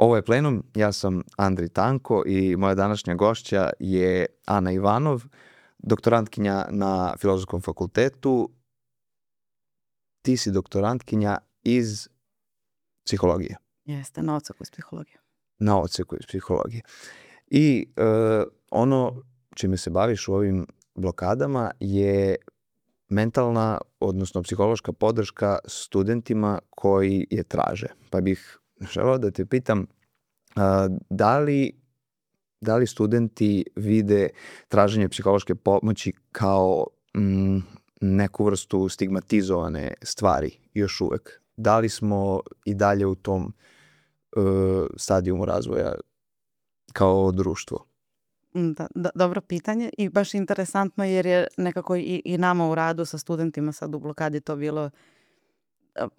Ovo je Plenum, ja sam Andri Tanko i moja današnja gošća je Ana Ivanov, doktorantkinja na Filozofskom fakultetu. Ti si doktorantkinja iz psihologije. Jeste, na odseku iz psihologije. Na odseku iz psihologije. I ono čime se baviš u ovim blokadama je mentalna, odnosno psihološka podrška studentima koji je traže. Pa bih želeo da te pitam da li studenti vide traženje psihološke pomoći kao neku vrstu stigmatizovane stvari još uvek? Da li smo i dalje u tom stadijumu razvoja kao društvo? Dobro pitanje i baš interesantno jer je nekako i nama u radu sa studentima sad u blokadi to bilo.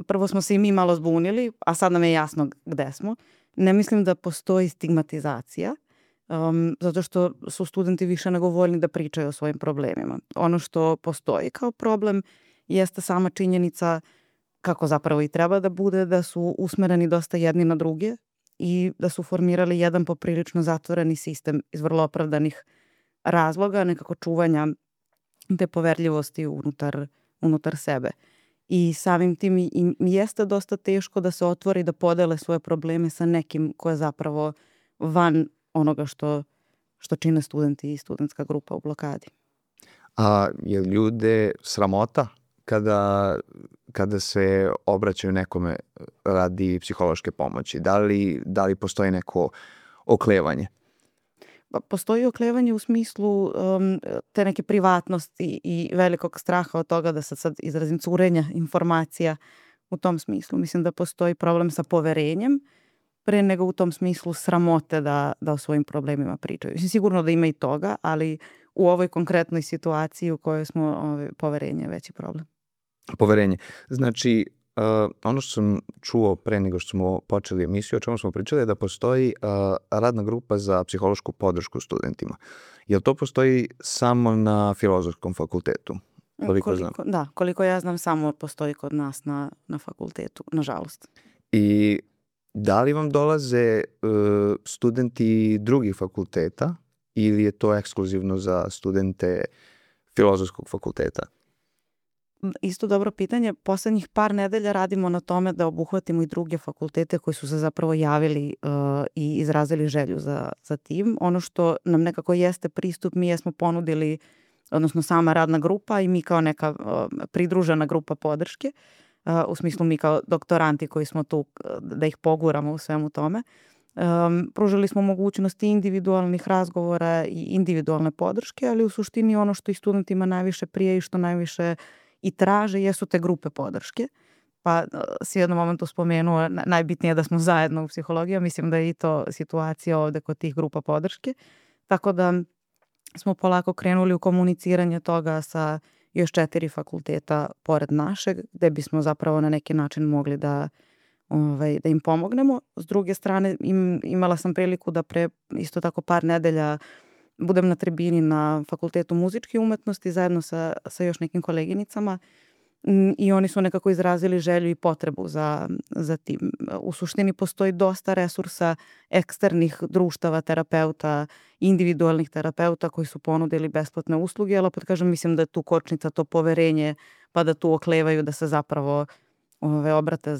Prvo smo se i mi malo zbunili, a sad nam je jasno gde smo. Ne mislim da postoji stigmatizacija, zato što su studenti više nego voljni da pričaju o svojim problemima. Ono što postoji kao problem jeste sama činjenica, kako zapravo i treba da bude, da su usmereni dosta jedni na druge i da su formirali jedan poprilično zatvoreni sistem iz vrlo opravdanih razloga, nekako čuvanja te poverljivosti unutar sebe. I samim tim im jeste dosta teško da se otvori, da podele svoje probleme sa nekim ko je zapravo van onoga što čine studenti i studentska grupa u blokadi. A je ljude sramota kada se obraćaju nekome radi psihološke pomoći? Da li postoji neko oklevanje? Postoji oklevanje u smislu te neke privatnosti i velikog straha od toga da sad izrazim curenja informacija u tom smislu. Mislim da postoji problem sa poverenjem pre nego u tom smislu sramote da o svojim problemima pričaju. Sigurno da ima i toga, ali u ovoj konkretnoj situaciji u kojoj smo, poverenje je veći problem. Poverenje. Znači, ono što sam čuo pre nego što smo počeli emisiju, o čemu smo pričali, je da postoji radna grupa za psihološku podršku studentima. Jel to postoji samo na Filozofskom fakultetu? Koliko ja znam, samo postoji kod nas na fakultetu, nažalost. I da li vam dolaze studenti drugih fakulteta ili je to ekskluzivno za studente Filozofskog fakulteta? Isto dobro pitanje. Poslednjih par nedelja radimo na tome da obuhvatimo i druge fakultete koji su se zapravo javili i izrazili želju za tim. Ono što nam nekako jeste pristup, mi jesmo ponudili, odnosno sama radna grupa i mi kao neka pridružena grupa podrške, u smislu mi kao doktoranti koji smo tu da ih poguramo u svemu tome. Pružili smo mogućnosti individualnih razgovora i individualne podrške, ali u suštini ono što i studentima najviše prije i što najviše i traže jesu te grupe podrške. Pa si u jednom momentu spomenuo, najbitnije je da smo zajedno u psihologiji, mislim da je i to situacija ovde kod tih grupa podrške. Tako da smo polako krenuli u komuniciranje toga sa još 4 fakulteta pored našeg, gde bismo zapravo na neki način mogli da im pomognemo. S druge strane, imala sam priliku da pre isto tako par nedelja budem na tribini na Fakultetu muzičke umetnosti zajedno sa još nekim koleginicama i oni su nekako izrazili želju i potrebu za tim. U suštini postoji dosta resursa eksternih društava, terapeuta, individualnih terapeuta koji su ponudili besplatne usluge, ali opet kažem, mislim da je tu kočnica to poverenje, pa da tu oklevaju da se zapravo obrate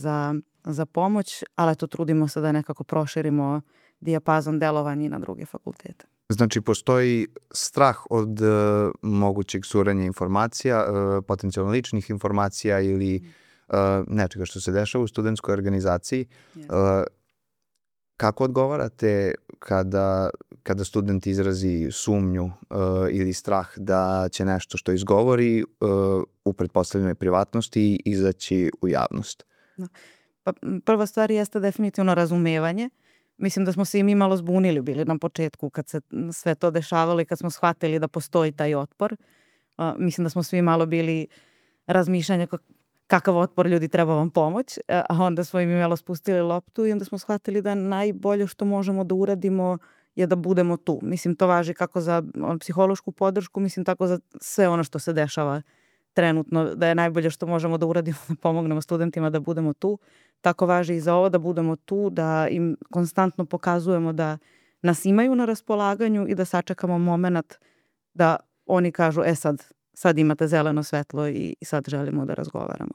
za pomoć, ali eto trudimo se da nekako proširimo dijapazon delovanja i na druge fakultete. Znači, postoji strah od mogućeg curenja informacija, potencijalno ličnih informacija ili nečega što se dešava u studentskoj organizaciji. Kako odgovarate kada student izrazi sumnju ili strah da će nešto što izgovori u pretpostavljenoj privatnosti izaći u javnost? Pa, prva stvar jeste definitivno razumevanje. Mislim da smo se i mi malo zbunili bili na početku kad se sve to dešavalo i kad smo shvatili da postoji taj otpor. Mislim da smo svi malo bili razmišljanja kakav otpor, ljudi, treba vam pomoć, a onda smo im malo spustili loptu i onda smo shvatili da najbolje što možemo da uradimo je da budemo tu. Mislim, to važi kako za psihološku podršku, mislim tako za sve ono što se dešava trenutno da je najbolje što možemo da uradimo da pomognemo studentima da budemo tu. Tako važi i za ovo, da budemo tu, da im konstantno pokazujemo da nas imaju na raspolaganju i da sačekamo moment da oni kažu sad imate zeleno svetlo i sad želimo da razgovaramo.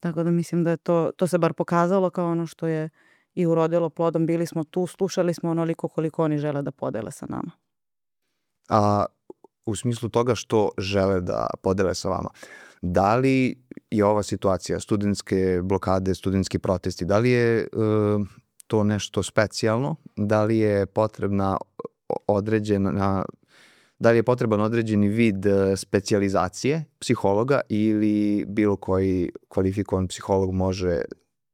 Tako da mislim da je to se bar pokazalo kao ono što je i urodilo plodom. Bili smo tu, slušali smo onoliko koliko oni žele da podele sa nama. A u smislu toga što žele da podele sa vama, da li je ova situacija, studentske blokade, studentski protesti, da li je to nešto specijalno? Da li je potreban određeni vid specijalizacije psihologa ili bilo koji kvalifikovan psiholog može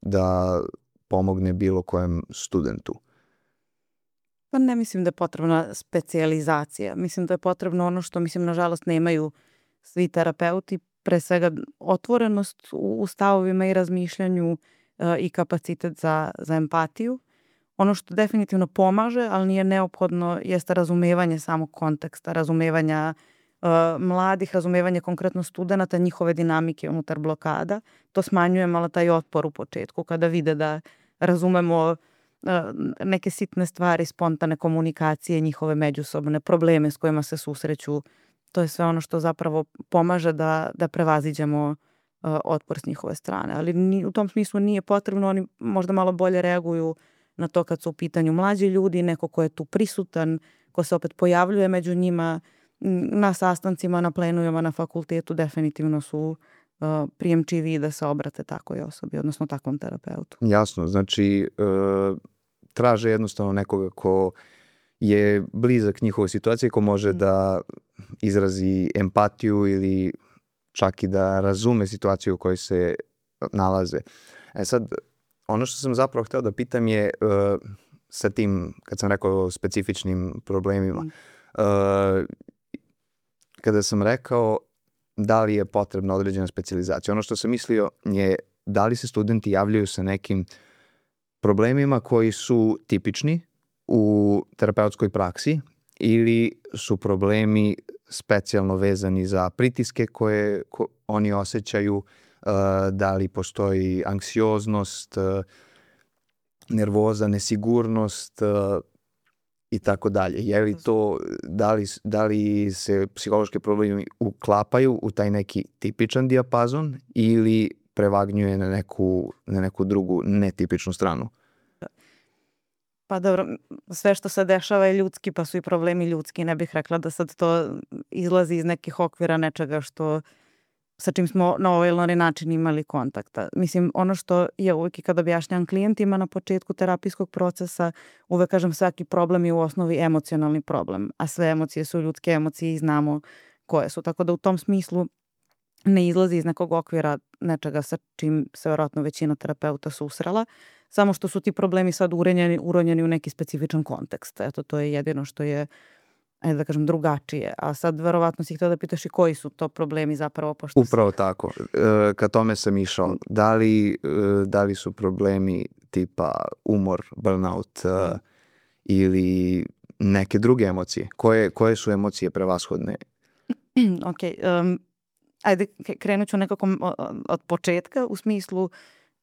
da pomogne bilo kojem studentu? Pa ne mislim da je potrebna specijalizacija. Mislim da je potrebno ono što, nažalost, nemaju svi terapeuti, pre svega otvorenost u stavovima i razmišljanju i kapacitet za empatiju. Ono što definitivno pomaže, ali nije neophodno, jeste razumevanje samog konteksta, razumevanja mladih, razumevanje konkretno studenta, njihove dinamike unutar blokada. To smanjuje malo taj otpor u početku, kada vide da razumemo neke sitne stvari, spontane komunikacije, njihove međusobne probleme s kojima se susreću. To je sve ono što zapravo pomaže da prevaziđemo otpor s njihove strane. Ali u tom smislu nije potrebno, oni možda malo bolje reaguju na to kad su u pitanju mlađi ljudi, neko ko je tu prisutan, ko se opet pojavljuje među njima na sastancima, na plenujama, na fakultetu, definitivno su prijemčiviji da se obrate takvoj osobi, odnosno takvom terapeutu. Jasno, znači traže jednostavno nekoga ko je blizak njihovoj situaciji, ko može da izrazi empatiju ili čak i da razume situaciju u kojoj se nalaze. Sad, ono što sam zapravo hteo da pitam je sa tim, kad sam rekao o specifičnim problemima, kada sam rekao da li je potrebna određena specijalizacija, ono što sam mislio je da li se studenti javljaju sa nekim problemima koji su tipični u terapeutskoj praksi ili su problemi specijalno vezani za pritiske koje oni osjećaju, da li postoji anksioznost, nervoza, nesigurnost i tako dalje. Je li to, da li se psihološki problemi uklapaju u taj neki tipičan dijapazon ili prevagnjuje na neku drugu netipičnu stranu? Pa dobro, sve što se dešava je ljudski, pa su i problemi ljudski. Ne bih rekla da sad to izlazi iz nekih okvira nečega sa čim smo na ovaj ili onaj način imali kontakta. Ono što je uvijek i kad objašnjam klijentima na početku terapijskog procesa, uvek kažem svaki problem je u osnovi emocionalni problem, a sve emocije su ljudske emocije i znamo koje su. Tako da u tom smislu ne izlazi iz nekog okvira nečega sa čim se vjerojatno većina terapeuta susrela, samo što su ti problemi sad uronjeni u neki specifičan kontekst. Eto, to je jedino što je, ajde da kažem, drugačije. A sad verovatno si htio da pitaš i koji su to problemi zapravo. Upravo tako. Ka tome sam išao. Da li su problemi tipa umor, burnout ili neke druge emocije? Koje su emocije prevashodne? Ok. Ajde, krenut ću nekako od početka, u smislu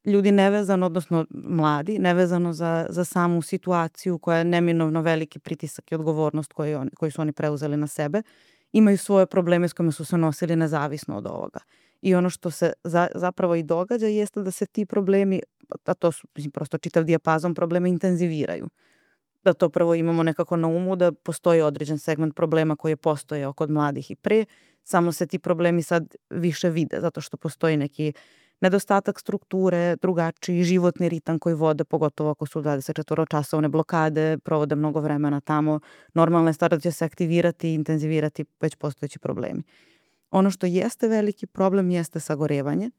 ljudi nevezano, odnosno mladi, nevezano za samu situaciju koja je neminovno veliki pritisak i odgovornost koju su oni preuzeli na sebe, imaju svoje probleme s kojima su se nosili nezavisno od ovoga. I ono što se zapravo i događa jeste da se ti problemi, a to su prosto čitav dijapazon problema, intenziviraju. Da to prvo imamo nekako na umu, da postoji određen segment problema koji je postojao kod mladih i pre, samo se ti problemi sad više vide, zato što postoji neki nedostatak strukture, drugačiji životni ritam koji vode, pogotovo ako su 24-časovne blokade, provode mnogo vremena tamo. Normalna je stvar da će se aktivirati i intenzivirati već postojeći problemi. Ono što jeste veliki problem jeste sagorevanje,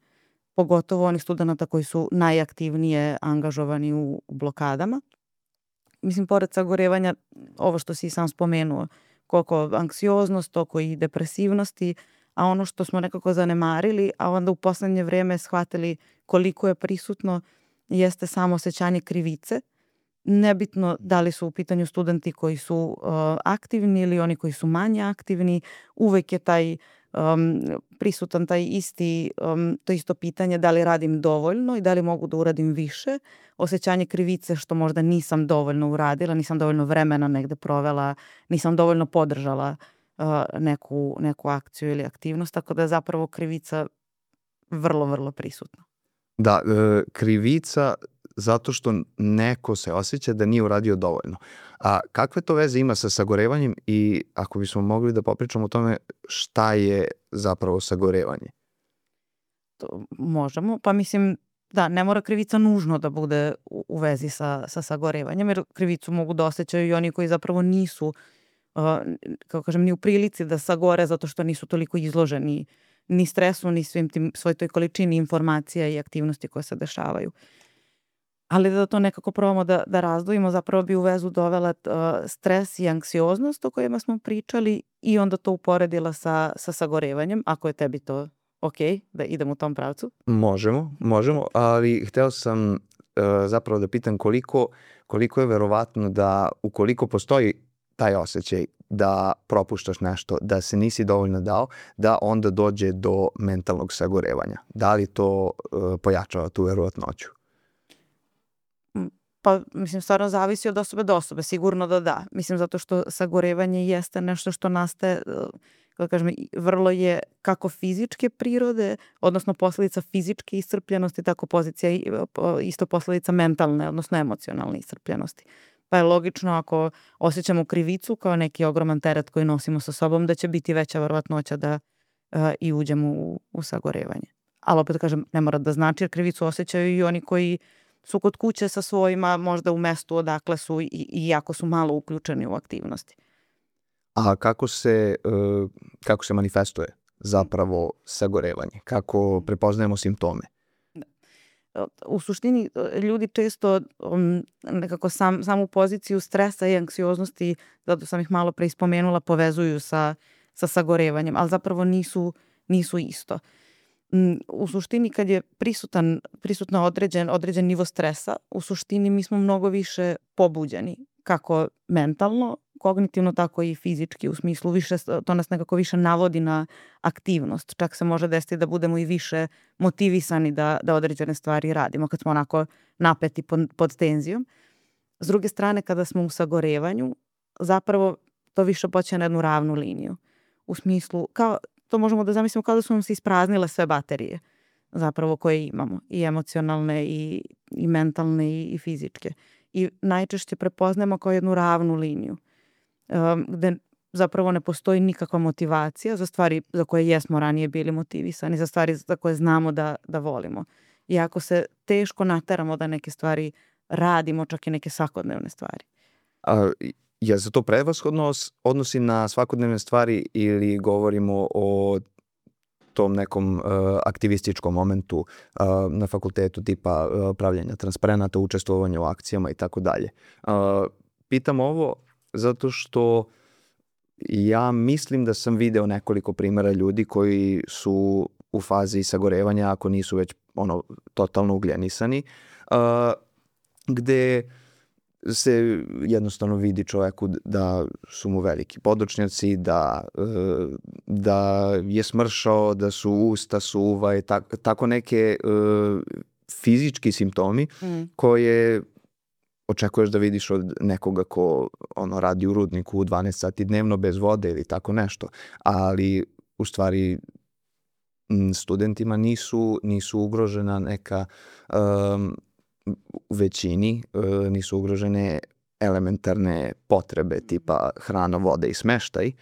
pogotovo onih studenta koji su najaktivnije angažovani u blokadama. Pored sagorevanja, ovo što si sam spomenuo, koliko anksioznost, toliko i depresivnosti, a ono što smo nekako zanemarili, a onda u poslednje vreme shvatili koliko je prisutno, jeste samo osjećanje krivice nebitno da li su u pitanju studenti koji su aktivni ili oni koji su manje aktivni, uvek je taj prisutan taj to isto pitanje da li radim dovoljno i da li mogu da uradim više, osjećanje krivice što možda nisam dovoljno uradila, nisam dovoljno vremena negde provela, nisam dovoljno podržala neku akciju ili aktivnost, tako da je zapravo krivica vrlo, vrlo prisutna. Da, krivica zato što neko se osjeća da nije uradio dovoljno. A kakve to veze ima sa sagorevanjem i ako bismo mogli da popričamo o tome šta je zapravo sagorevanje? To možemo, pa mislim da ne mora krivica nužno da bude u vezi sa sagorevanjem, jer krivicu mogu da osjećaju i oni koji zapravo nisu, kako kažem, ni u prilici da sagore zato što nisu toliko izloženi ni stresu, ni svoj toj količini informacija i aktivnosti koje se dešavaju. Ali da to nekako probamo da razdvojimo, zapravo bi u vezu dovela stres i anksioznost o kojima smo pričali i onda to uporedila sa sagorevanjem, ako je tebi to ok, da idem u tom pravcu. Možemo, ali hteo sam zapravo da pitam koliko je verovatno da ukoliko postoji taj osjećaj da propuštaš nešto, da se nisi dovoljno dao, da onda dođe do mentalnog sagorevanja. Da li to pojačava tu verovatnoću? Pa, mislim, stvarno zavisi od osobe do osobe, sigurno da. Mislim, zato što sagorevanje jeste nešto što nastaje, kako kažem, vrlo je kako fizičke prirode, odnosno posledica fizičke iscrpljenosti, tako isto posledica mentalne, odnosno emocionalne iscrpljenosti. Pa je logično ako osjećamo krivicu kao neki ogroman teret koji nosimo sa sobom, da će biti veća verovatnoća da i uđemo u sagorevanje. Ali opet kažem, ne mora da znači, jer krivicu osjećaju i oni koji su kod kuće sa svojima, možda u mestu odakle su i jako su malo uključeni u aktivnosti. A kako se manifestuje zapravo sagorevanje? Kako prepoznajemo simptome? U suštini ljudi često nekako samu poziciju stresa i anksioznosti, zato sam ih malo pre ispomenula, povezuju sa sagorevanjem, ali zapravo nisu isto. U suštini kad je prisutno određen nivo stresa, u suštini mi smo mnogo više pobuđeni, kako mentalno, kognitivno, tako i fizički, u smislu to nas nekako više navodi na aktivnost. Čak se može desiti da budemo i više motivisani da određene stvari radimo kad smo onako napeti pod tenzijom. S druge strane, kada smo u sagorevanju, zapravo to više počne na jednu ravnu liniju. U smislu, to možemo da zamislimo kao da su nam se ispraznile sve baterije zapravo koje imamo, i emocionalne i mentalne i fizičke. I najčešće prepoznajemo kao jednu ravnu liniju gde zapravo ne postoji nikakva motivacija za stvari za koje jesmo ranije bili motivisani, za stvari za koje znamo da volimo. I ako se teško nateramo da neke stvari radimo, čak i neke svakodnevne stvari. Je se to prevashodno odnosi na svakodnevne stvari ili govorimo o tom nekom aktivističkom momentu na fakultetu, tipa pravljenja transparenata, učestvovanja u akcijama i tako dalje? Pitam ovo zato što ja mislim da sam video nekoliko primjera ljudi koji su u fazi sagorevanja, ako nisu već totalno ugljenisani, gde se jednostavno vidi čoveku da su mu veliki podočnjaci, da je smršao, da su usta suva i tako neke fizički simptomi koje očekuješ da vidiš od nekoga ko radi u rudniku u 12 sati dnevno bez vode ili tako nešto. Ali u stvari studentima nisu ugrožena neka u većini nisu ugrožene elementarne potrebe tipa hrana, voda i smeštaj,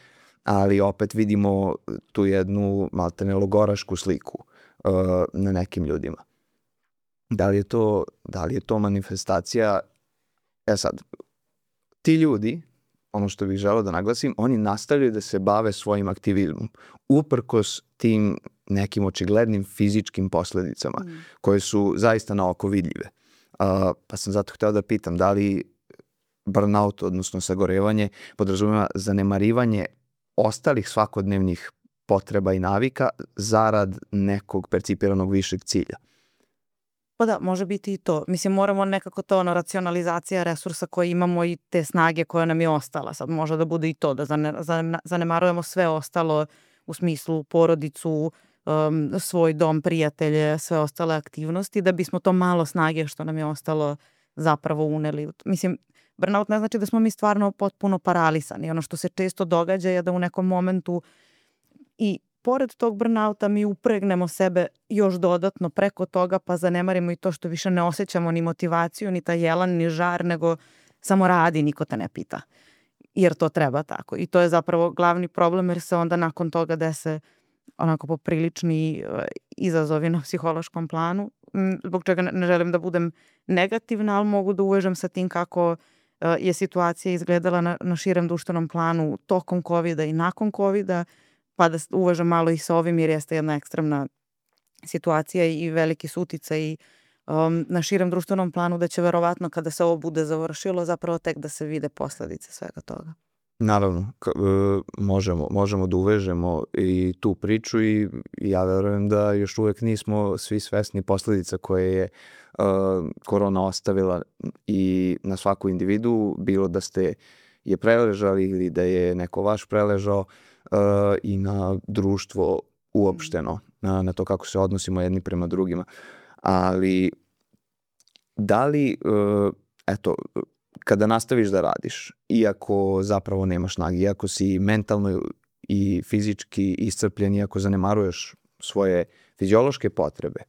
ali opet vidimo tu jednu maltene logorašku sliku na nekim ljudima. Da li je to manifestacija? Sad, ti ljudi, ono što bih želeo da naglasim, oni nastavljaju da se bave svojim aktivizmom, uprkos tim nekim očiglednim fizičkim posledicama koje su zaista na oko vidljive. Pa sam zato hteo da pitam da li burnout, odnosno sagorevanje, podrazumeva zanemarivanje ostalih svakodnevnih potreba i navika zarad nekog percipiranog višeg cilja? Pa da, može biti i to. Mislim, moramo nekako to, racionalizacija resursa koje imamo i te snage koja nam je ostala. Sad može da bude i to, da zanemarujemo sve ostalo u smislu porodicu, svoj dom, prijatelje, sve ostale aktivnosti, da bismo to malo snage što nam je ostalo zapravo uneli. Mislim, burnout ne znači da smo mi stvarno potpuno paralisani. Ono što se često događa je da u nekom momentu i pored tog burnouta mi upregnemo sebe još dodatno preko toga, pa zanemarimo i to što više ne osjećamo ni motivaciju, ni taj jelan, ni žar, nego samo radi, niko te ne pita. Jer to treba tako. I to je zapravo glavni problem, jer se onda nakon toga dese onako poprilični izazovi na psihološkom planu, zbog čega ne želim da budem negativna, ali mogu da uvežem sa tim kako je situacija izgledala na širem društvenom planu tokom COVID-a i nakon COVID-a, pa da uvežem malo i sa ovim, jer jeste jedna ekstremna situacija i veliki su uticaj na širem društvenom planu, da će verovatno kada se ovo bude završilo zapravo tek da se vide posledice svega toga. Naravno, možemo da uvežemo i tu priču i ja verujem da još uvek nismo svi svesni posledica koje je korona ostavila i na svaku individu, bilo da ste je preležali ili da je neko vaš preležao, i na društvo uopšteno, na to kako se odnosimo jedni prema drugima. Ali da li, kada nastaviš da radiš, iako zapravo nemaš snage, iako si mentalno i fizički iscrpljen, iako zanemaruješ svoje fiziološke potrebe,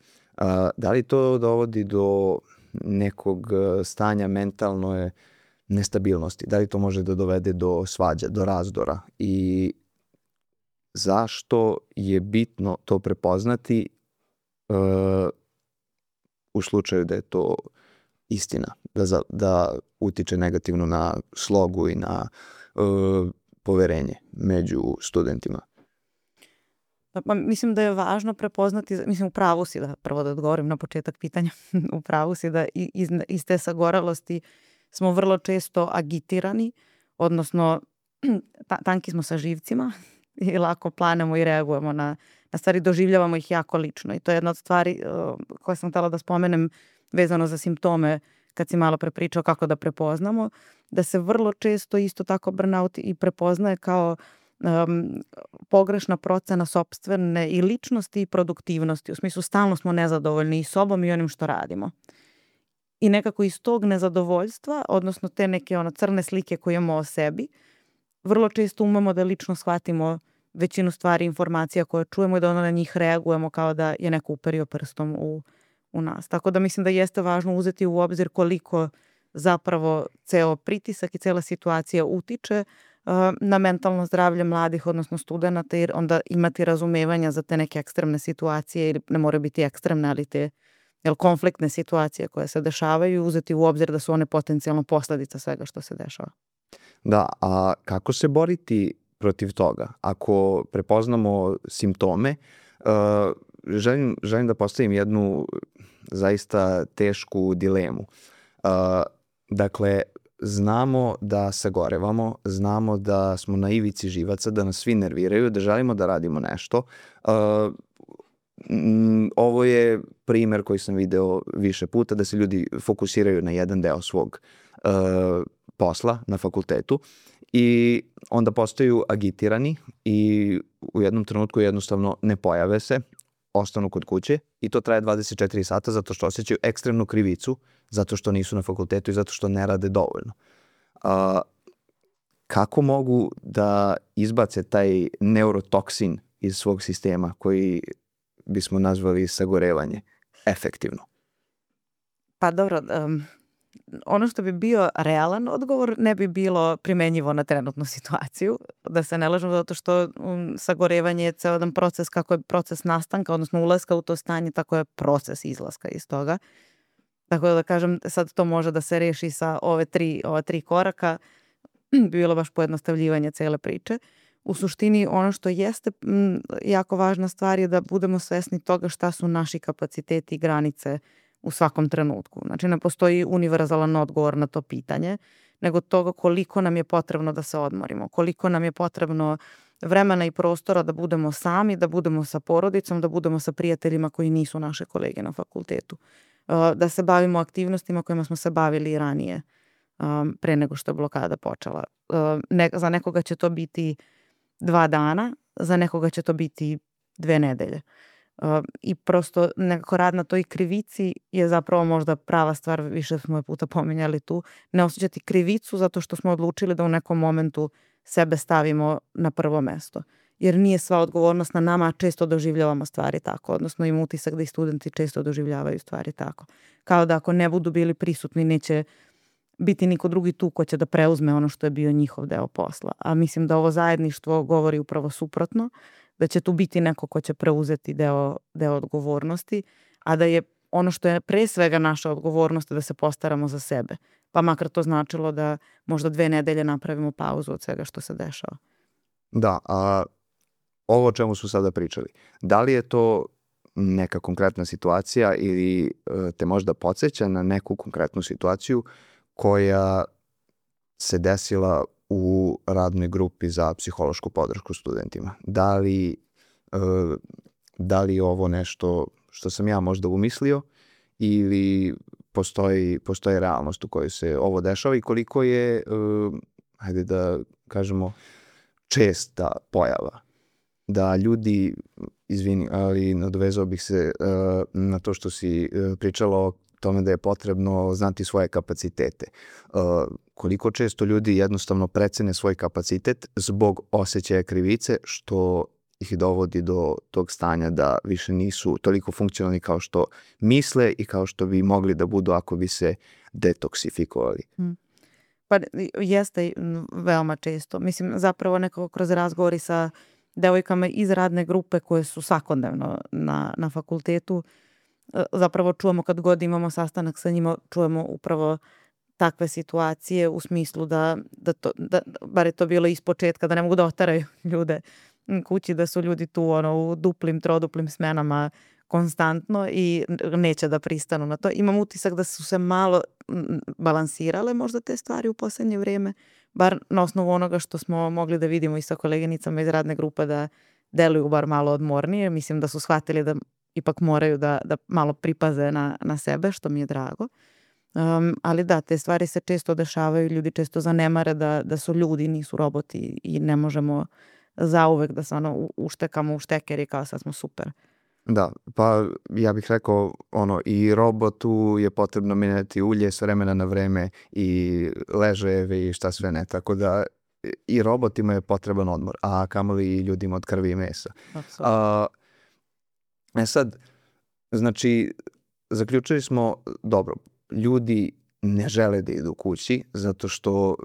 da li to dovodi do nekog stanja mentalne nestabilnosti? Da li to može da dovede do svađa, do razdora? I zašto je bitno to prepoznati u slučaju da je to istina, da utiče negativno na slogu i na poverenje među studentima? Pa mislim da je važno prepoznati, mislim u pravu si, da prvo da odgovorim na početak pitanja, u pravu si da iz te sagoralosti smo vrlo često agitirani, odnosno tanki smo sa živcima i lako planemo i reagujemo na stvari, doživljavamo ih jako lično i to je jedna od stvari koje sam htjela da spomenem vezano za simptome kad si malo pre pričao kako da prepoznamo, da se vrlo često isto tako burnout i prepoznaje kao pogrešna procena sopstvene i ličnosti i produktivnosti. U smislu stalno smo nezadovoljni i sobom i onim što radimo. I nekako iz tog nezadovoljstva, odnosno te neke crne slike koje imamo o sebi, vrlo često umemo da lično shvatimo većinu stvari, informacija koje čujemo i da na njih reagujemo kao da je neko uperio prstom u nas. Tako da mislim da jeste važno uzeti u obzir koliko zapravo ceo pritisak i cela situacija utiče na mentalno zdravlje mladih, odnosno studenta, jer onda imati razumevanja za te neke ekstremne situacije, ili ne moraju biti ekstremne, ali te konfliktne situacije koje se dešavaju, uzeti u obzir da su one potencijalno posledica svega što se dešava. Da, a kako se boriti protiv toga? Ako prepoznamo simptome, želim da postavim jednu zaista tešku dilemu. Dakle, znamo da sagorevamo, znamo da smo na ivici živaca, da nas svi nerviraju, da želimo da radimo nešto. Ovo je primer koji sam video više puta, da se ljudi fokusiraju na jedan deo svog posla na fakultetu i onda postaju agitirani i u jednom trenutku jednostavno ne pojave se, ostanu kod kuće i to traje 24 sata zato što osjećaju ekstremnu krivicu, zato što nisu na fakultetu i zato što ne rade dovoljno. Kako mogu da izbace taj neurotoksin iz svog sistema koji bismo nazvali sagorevanje efektivno? Pa dobro, ono što bi bio realan odgovor ne bi bilo primenjivo na trenutnu situaciju, da se ne lažemo, zato što sagorevanje je ceo jedan proces, kako je proces nastanka, odnosno ulaska u to stanje, tako je proces izlaska iz toga. Tako da kažem, sad to može da se reši sa ova tri koraka, bi bilo baš pojednostavljivanje cele priče. U suštini ono što jeste jako važna stvar je da budemo svesni toga šta su naši kapaciteti i granice u svakom trenutku. Znači ne postoji univerzalan odgovor na to pitanje, nego toga koliko nam je potrebno da se odmorimo, koliko nam je potrebno vremena i prostora da budemo sami, da budemo sa porodicom, da budemo sa prijateljima koji nisu naše kolege na fakultetu. da se bavimo aktivnostima kojima smo se bavili i ranije, pre nego što je blokada počela. Za nekoga će to biti 2 dana, za nekoga će to biti 2 nedelje. I prosto nekako rad na toj krivici je zapravo možda prava stvar, više smo je puta pominjali tu, ne osjećati krivicu zato što smo odlučili da u nekom momentu sebe stavimo na prvo mesto. Jer nije sva odgovornost na nama, a često doživljavamo stvari tako, odnosno imam utisak da i studenti često doživljavaju stvari tako. Kao da ako ne budu bili prisutni, neće biti niko drugi tu ko će da preuzme ono što je bio njihov deo posla. A mislim da ovo zajedništvo govori upravo suprotno, da će tu biti neko ko će preuzeti deo odgovornosti, a da je ono što je pre svega naša odgovornost da se postaramo za sebe. Pa makar to značilo da možda 2 nedelje napravimo pauzu od svega što se dešava. Da, a ovo o čemu smo sada pričali, da li je to neka konkretna situacija ili te možda podsjeća na neku konkretnu situaciju koja se desila u radnoj grupi za psihološku podršku studentima? Da li je ovo nešto što sam ja možda umislio ili postoji realnost u kojoj se ovo dešava i koliko je, hajde da kažemo, česta pojava da ljudi, izvini, ali nadovezao bih se na to što si pričala o tome da je potrebno znati svoje kapacitete. Koliko često ljudi jednostavno precene svoj kapacitet zbog osjećaja krivice, što ih dovodi do tog stanja da više nisu toliko funkcionalni kao što misle i kao što bi mogli da budu ako bi se detoksifikovali. Pa jeste veoma često. Mislim, zapravo nekako kroz razgovori sa devojkama iz radne grupe koje su svakodnevno na fakultetu, zapravo čujemo kad god imamo sastanak sa njima, čujemo upravo takve situacije u smislu da bar je to bilo ispočetka, da ne mogu da otaraju ljude kući, da su ljudi tu u duplim, troduplim smenama konstantno i neće da pristanu na to. Imam utisak da su se malo balansirale možda te stvari u poslednje vrijeme, bar na osnovu onoga što smo mogli da vidimo i sa koleginicama iz radne grupe da deluju bar malo odmornije. Mislim da su shvatili da ipak moraju da malo pripaze na sebe, što mi je drago. Ali da, te stvari se često dešavaju, ljudi često zanemare da su ljudi, nisu roboti i ne možemo zauvek da se uštekamo u šteker i kao sad smo super. Da, pa ja bih rekao i robotu je potrebno menjati ulje s vremena na vreme i ležajeve i šta sve ne, tako da i robotima je potreban odmor, a kamoli i ljudima od krvi i mesa. Sad, znači, zaključili smo, dobro, ljudi ne žele da idu kući zato što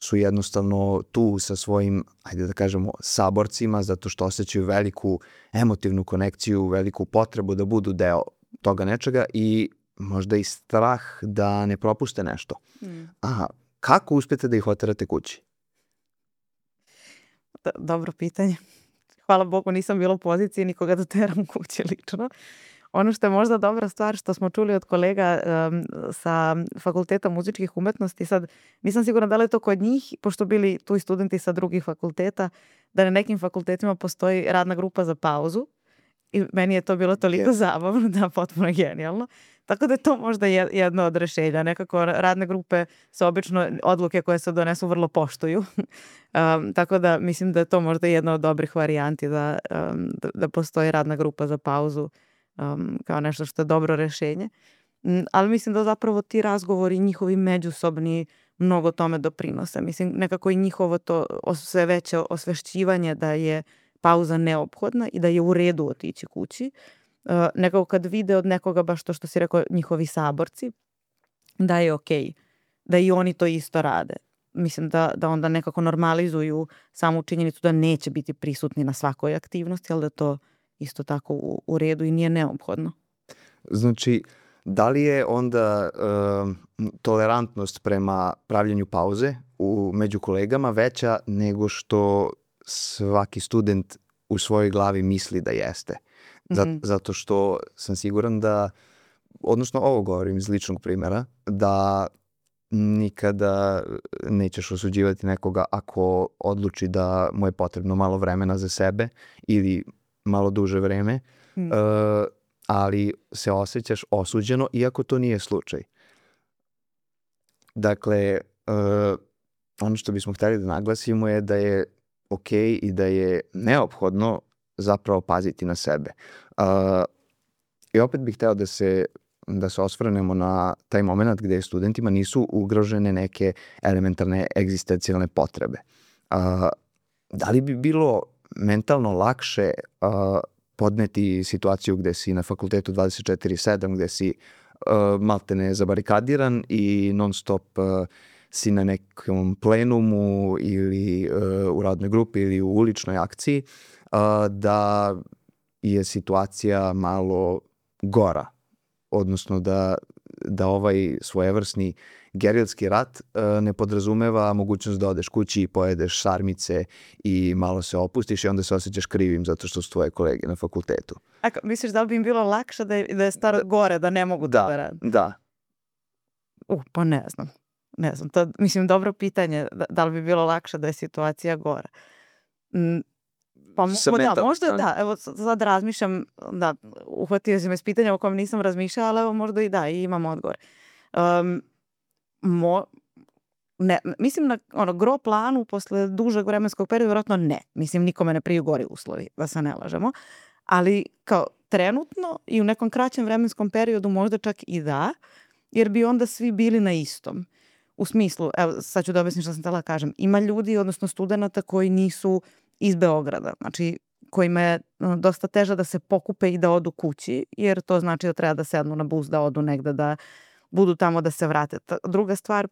su jednostavno tu sa svojim, ajde da kažemo, saborcima, zato što osjećaju veliku emotivnu konekciju, veliku potrebu da budu deo toga nečega i možda i strah da ne propuste nešto. A kako uspete da ih oterate kući? Dobro pitanje. Hvala Bogu nisam bila u poziciji nikoga da teram kući lično. Ono što je možda dobra stvar što smo čuli od kolega sa Fakulteta muzičkih umetnosti, sad nisam sigurna da li je to kod njih, pošto bili tu i studenti sa drugih fakulteta, da na nekim fakultetima postoji radna grupa za pauzu i meni je to bilo toliko zabavno, da, potpuno genijalno. Tako da je to možda jedno od rešenja. Nekako radne grupe su obično odluke koje se donesu vrlo poštuju. Tako da mislim da je to možda jedna od dobrih varijanti da postoji radna grupa za pauzu kao nešto što je dobro rešenje. Ali mislim da zapravo ti razgovori njihovi međusobni mnogo tome doprinose. Mislim nekako i njihovo to sve veće osvešćivanje da je pauza neophodna i da je u redu otići kući. Nekako kad vide od nekoga baš to što si rekao njihovi saborci da je okej, da i oni to isto rade. Mislim da onda nekako normalizuju samu činjenicu da neće biti prisutni na svakoj aktivnosti, ali da to isto tako u redu i nije neophodno. Znači, da li je onda tolerantnost prema pravljenju pauze među kolegama veća nego što svaki student u svojoj glavi misli da jeste? Zato što sam siguran da, odnosno ovo govorim iz ličnog primjera, da nikada nećeš osuđivati nekoga ako odluči da mu je potrebno malo vremena za sebe ili malo duže vreme, ali se osjećaš osuđeno iako to nije slučaj. Dakle, ono što bismo htjeli da naglasimo je da je ok i da je neophodno zapravo paziti na sebe. I opet bih hteo da se osvrnemo na taj moment gde studentima nisu ugrožene neke elementarne egzistencijalne potrebe. Da li bi bilo mentalno lakše podneti situaciju gde si na fakultetu 24/7, gde si maltene zabarikadiran i non stop si na nekom plenumu ili u radnoj grupi ili u uličnoj akciji, da je situacija malo gora, odnosno da ovaj svojevrsni gerilski rat ne podrazumeva mogućnost da odeš kući i pojedeš sarmice i malo se opustiš i onda se osjećaš krivim zato što su tvoje kolege na fakultetu. Misliš da li bi im bilo lakše da je staro gore, da ne mogu da rade? Da. Pa ne znam. Ne znam, to mislim dobro pitanje, da li bi bilo lakše da je situacija gora. Pa možda da, evo sad razmišljam, da, uhvatio si me s pitanja o kojem nisam razmišljala, ali evo možda i da, i imam odgovor. Mislim na gro planu posle dužeg vremenskog perioda, vjerojatno ne. Mislim, nikome ne priju gori uslovi, da se ne lažemo. Ali kao trenutno i u nekom kraćem vremenskom periodu možda čak i da, jer bi onda svi bili na istom. U smislu, evo sad ću da objasnim što sam htjela kažem, ima ljudi, odnosno studenta koji nisu iz Beograda, znači kojima je dosta teže da se pokupe i da odu kući, jer to znači da treba da sednu na bus, da odu negde, da budu tamo, da se vrate. Druga stvar,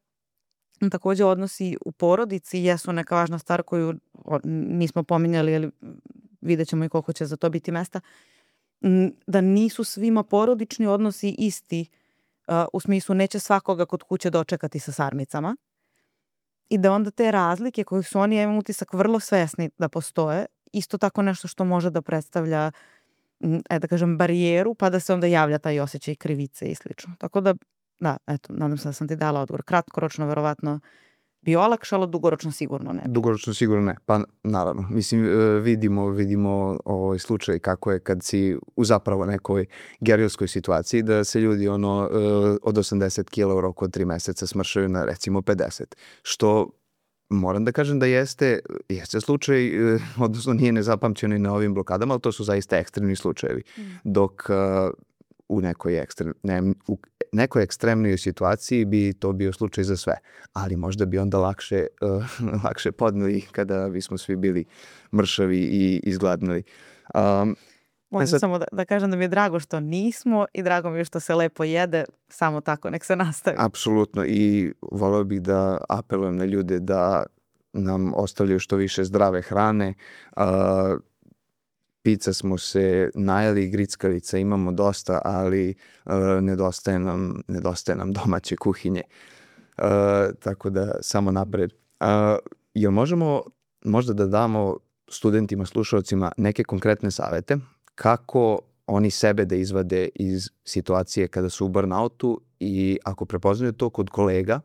takođe odnosi u porodici jesu neka važna stvar koju nismo pominjali, ali vidjet ćemo i koliko će za to biti mesta, da nisu svima porodični odnosi isti, u smislu neće svakoga kod kuće dočekati sa sarmicama i da onda te razlike koje su oni, ja imam utisak, vrlo svesni da postoje, isto tako nešto što može da predstavlja, da kažem, barijeru, pa da se onda javlja taj osjećaj krivice i slično. Tako da, eto, nadam se da sam ti dala odgovor. Kratkoročno, verovatno, bi olakšalo, dugoročno sigurno ne. Dugoročno sigurno ne, pa naravno. Mislim, vidimo ovaj slučaj kako je kad si u zapravo nekoj gerilskoj situaciji, da se ljudi od 80 kila u roku od 3 meseca smršaju na recimo 50, što moram da kažem da jeste slučaj, odnosno nije nezapamćeno i na ovim blokadama, ali to su zaista ekstremni slučajevi. Dok u nekoj ekstremnoj situaciji bi to bio slučaj za sve, ali možda bi onda lakše podneli kada bismo svi bili mršavi i izgladnili. Možda samo da kažem da mi je drago što nismo i drago mi je što se lepo jede, samo tako, nek se nastavi. Apsolutno, i voleo bih da apelujem na ljude da nam ostavljaju što više zdrave hrane. Pizza smo se najeli, grickalica imamo dosta, ali nedostaje nam domaće kuhinje. Tako da samo napred. Jel možemo možda da damo studentima, slušalcima neke konkretne savete kako oni sebe da izvade iz situacije kada su u burnoutu i ako prepoznaju to kod kolega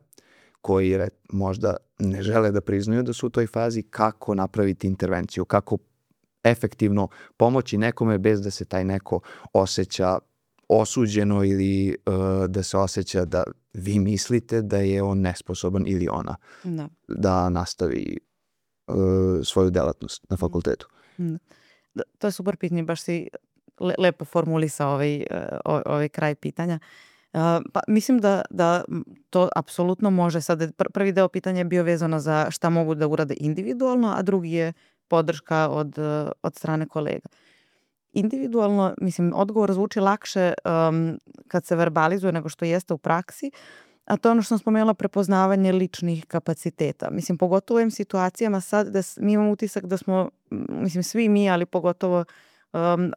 koji možda ne žele da priznaju da su u toj fazi, kako napraviti intervenciju, kako efektivno pomoći nekome bez da se taj neko osjeća osuđeno ili da se osjeća da vi mislite da je on nesposoban ili ona da nastavi svoju delatnost na fakultetu. To je super pitanje, baš si lepo formulisao ovaj kraj pitanja. Pa mislim da to apsolutno može. Sad, prvi deo pitanja je bio vezano za šta mogu da urade individualno, a drugi je podrška od strane kolega. Individualno, mislim, odgovor zvuči lakše kad se verbalizuje nego što jeste u praksi, a to je ono što sam spomenula, prepoznavanje ličnih kapaciteta. Mislim, pogotovo u ovim situacijama sad da mi imamo utisak da smo, mislim, svi mi, ali pogotovo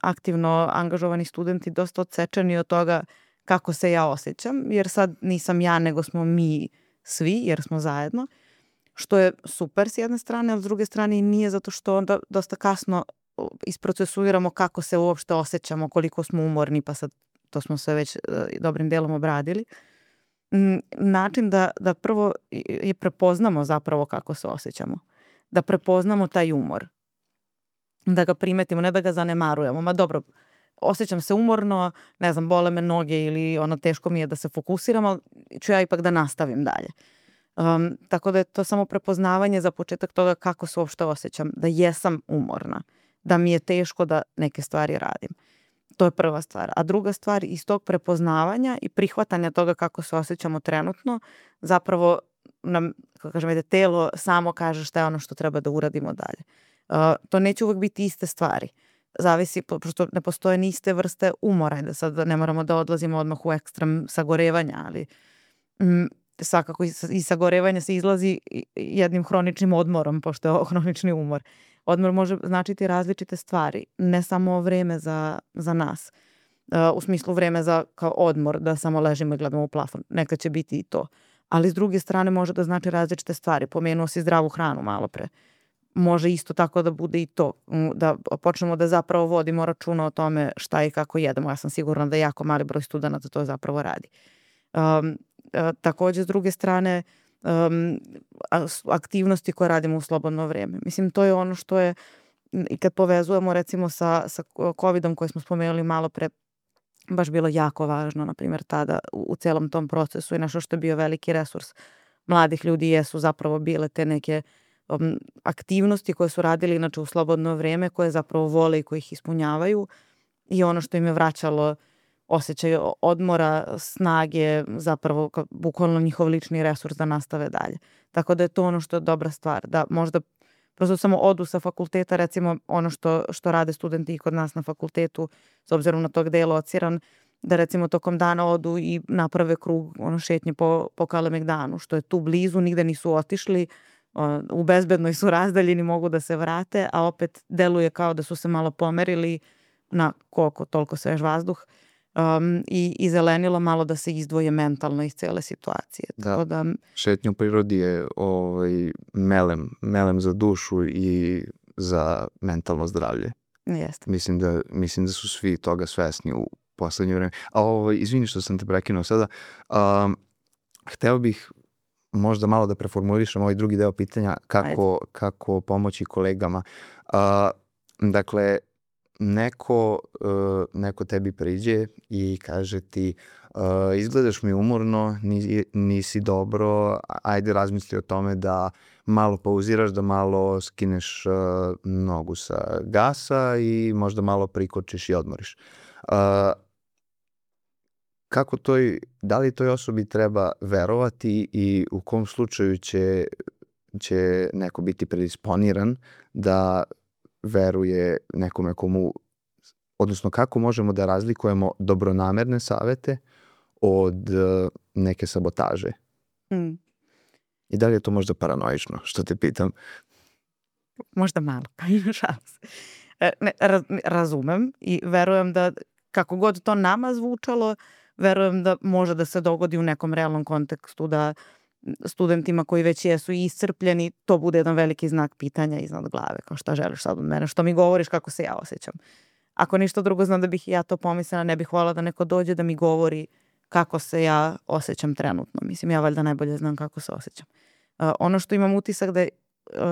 aktivno angažovani studenti dosta odsečeni od toga kako se ja osjećam, jer sad nisam ja, nego smo mi svi, jer smo zajedno, što je super s jedne strane, ali s druge strane i nije, zato što onda dosta kasno isprocesuiramo kako se uopšte osjećamo, koliko smo umorni, pa sad to smo sve već dobrim delom obradili. Način da prvo je prepoznamo zapravo kako se osjećamo, da prepoznamo taj umor, da ga primetimo, ne da ga zanemarujemo. Ma dobro, osjećam se umorno, ne znam, bole me noge ili teško mi je da se fokusiram, ali ću ja ipak da nastavim dalje. Tako da je to samo prepoznavanje za početak toga kako se uopšte osjećam, da jesam umorna, da mi je teško da neke stvari radim. To je prva stvar. A druga stvar, iz tog prepoznavanja i prihvatanja toga kako se osjećamo trenutno, zapravo nam, kako kažem, telo samo kaže šta je ono što treba da uradimo dalje. To neće uvek biti iste stvari. Zavisi, pošto ne postoje ni iste vrste umora, da sad ne moramo da odlazimo odmah u ekstrem sagorevanja, ali svakako iz sagorevanja se izlazi jednim hroničnim odmorom, pošto je hronični umor. Odmor može značiti različite stvari, ne samo vreme za nas. U smislu vreme za kao odmor, da samo ležimo i gledamo u plafon. Nekad će biti i to. Ali s druge strane može da znači različite stvari. Pomenuo si zdravu hranu malo pre. Može isto tako da bude i to. Da počnemo da zapravo vodimo računa o tome šta i kako jedemo. Ja sam sigurna da jako mali broj studenata to zapravo radi. Takođe, s druge strane, aktivnosti koje radimo u slobodno vreme. Mislim, to je ono što je, i kad povezujemo recimo sa COVID-om koji smo spomenuli malo pre, baš bilo jako važno, na primjer, tada u celom tom procesu i nešto što je bio veliki resurs mladih ljudi jesu zapravo bile te neke aktivnosti koje su radili inače u slobodno vreme, koje zapravo vole i koje ih ispunjavaju i ono što im je vraćalo osjećaj odmora, snage, zapravo bukvalno njihov lični resurs da nastave dalje. Tako da je to ono što je dobra stvar, da možda prosto samo odu sa fakulteta, recimo ono što rade studenti i kod nas na fakultetu, s obzirom na to gde je lociran, da recimo tokom dana odu i naprave krug šetnje po Kalemegdanu, što je tu blizu, nigde nisu otišli, u bezbednoj su razdaljini, mogu da se vrate, a opet deluje kao da su se malo pomerili na koliko toliko svež vazduh i zelenilo malo da se izdvoje mentalno iz cele situacije. Tako da šetnja u prirodi je melem za dušu i za mentalno zdravlje. Jeste. Mislim da su svi toga svesni u poslednje vreme. Izvini što sam te prekinuo sada. Hteo bih možda malo da preformulišem ovaj drugi deo pitanja kako pomoći kolegama. Dakle, neko tebi priđe i kaže ti izgledaš mi umorno, nisi dobro, ajde razmisli o tome da malo pauziraš, da malo skineš nogu sa gasa i možda malo prikočiš i odmoriš. Da li toj osobi treba verovati i u kom slučaju će neko biti predisponiran da veruje nekome odnosno kako možemo da razlikujemo dobronamerne savete od neke sabotaže? I da li je to možda paranoično, što te pitam? Možda malo, šalim se. Razumem i verujem da kako god to nama zvučalo, verujem da može da se dogodi u nekom realnom kontekstu da studentima koji već jesu iscrpljeni, to bude jedan veliki znak pitanja iznad glave, kao šta želiš sad od mene, što mi govoriš, kako se ja osjećam. Ako ništa drugo, znam da bih ja to pomislila, ne bih voljela da neko dođe da mi govori kako se ja osjećam trenutno. Mislim, ja valjda najbolje znam kako se osjećam. Ono što imam utisak da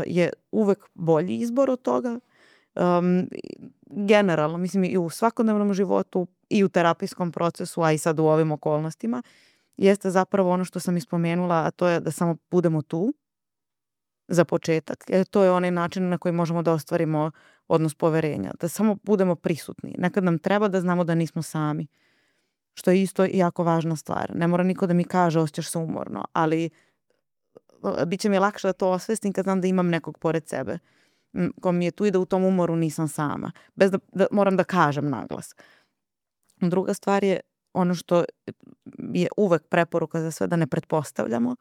je uvek bolji izbor od toga, generalno, mislim i u svakodnevnom životu i u terapijskom procesu, a i sad u ovim okolnostima, jeste zapravo ono što sam ispomenula, a to je da samo budemo tu za početak, jer to je onaj način na koji možemo da ostvarimo odnos poverenja, da samo budemo prisutni. Nekad nam treba da znamo da nismo sami, što je isto jako važna stvar. Ne mora niko da mi kaže osjećaš se umorno, ali bit će mi lakše da to osvestim kad znam da imam nekog pored sebe ko mi je tu i da u tom umoru nisam sama, bez da moram da kažem naglas. Druga stvar je ono što je uvek preporuka za sve, da ne pretpostavljamo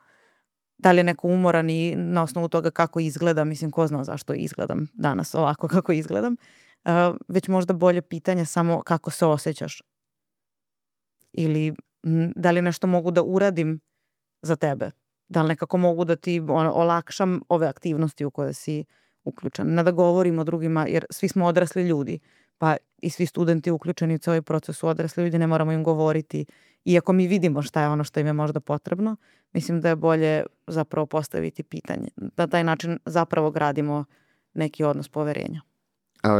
da li je neko umoran i na osnovu toga kako izgleda, mislim ko zna zašto izgledam danas ovako kako izgledam, već možda bolje pitanje samo kako se osjećaš ili da li nešto mogu da uradim za tebe, da li nekako mogu da ti olakšam ove aktivnosti u koje si uključen. Ne da govorimo drugima, jer svi smo odrasli ljudi, pa i svi studenti uključeni u ovaj proces su odrasli ljudi, ne moramo im govoriti. Iako mi vidimo šta je ono što im je možda potrebno, mislim da je bolje zapravo postaviti pitanje. Na taj način zapravo gradimo neki odnos poverenja.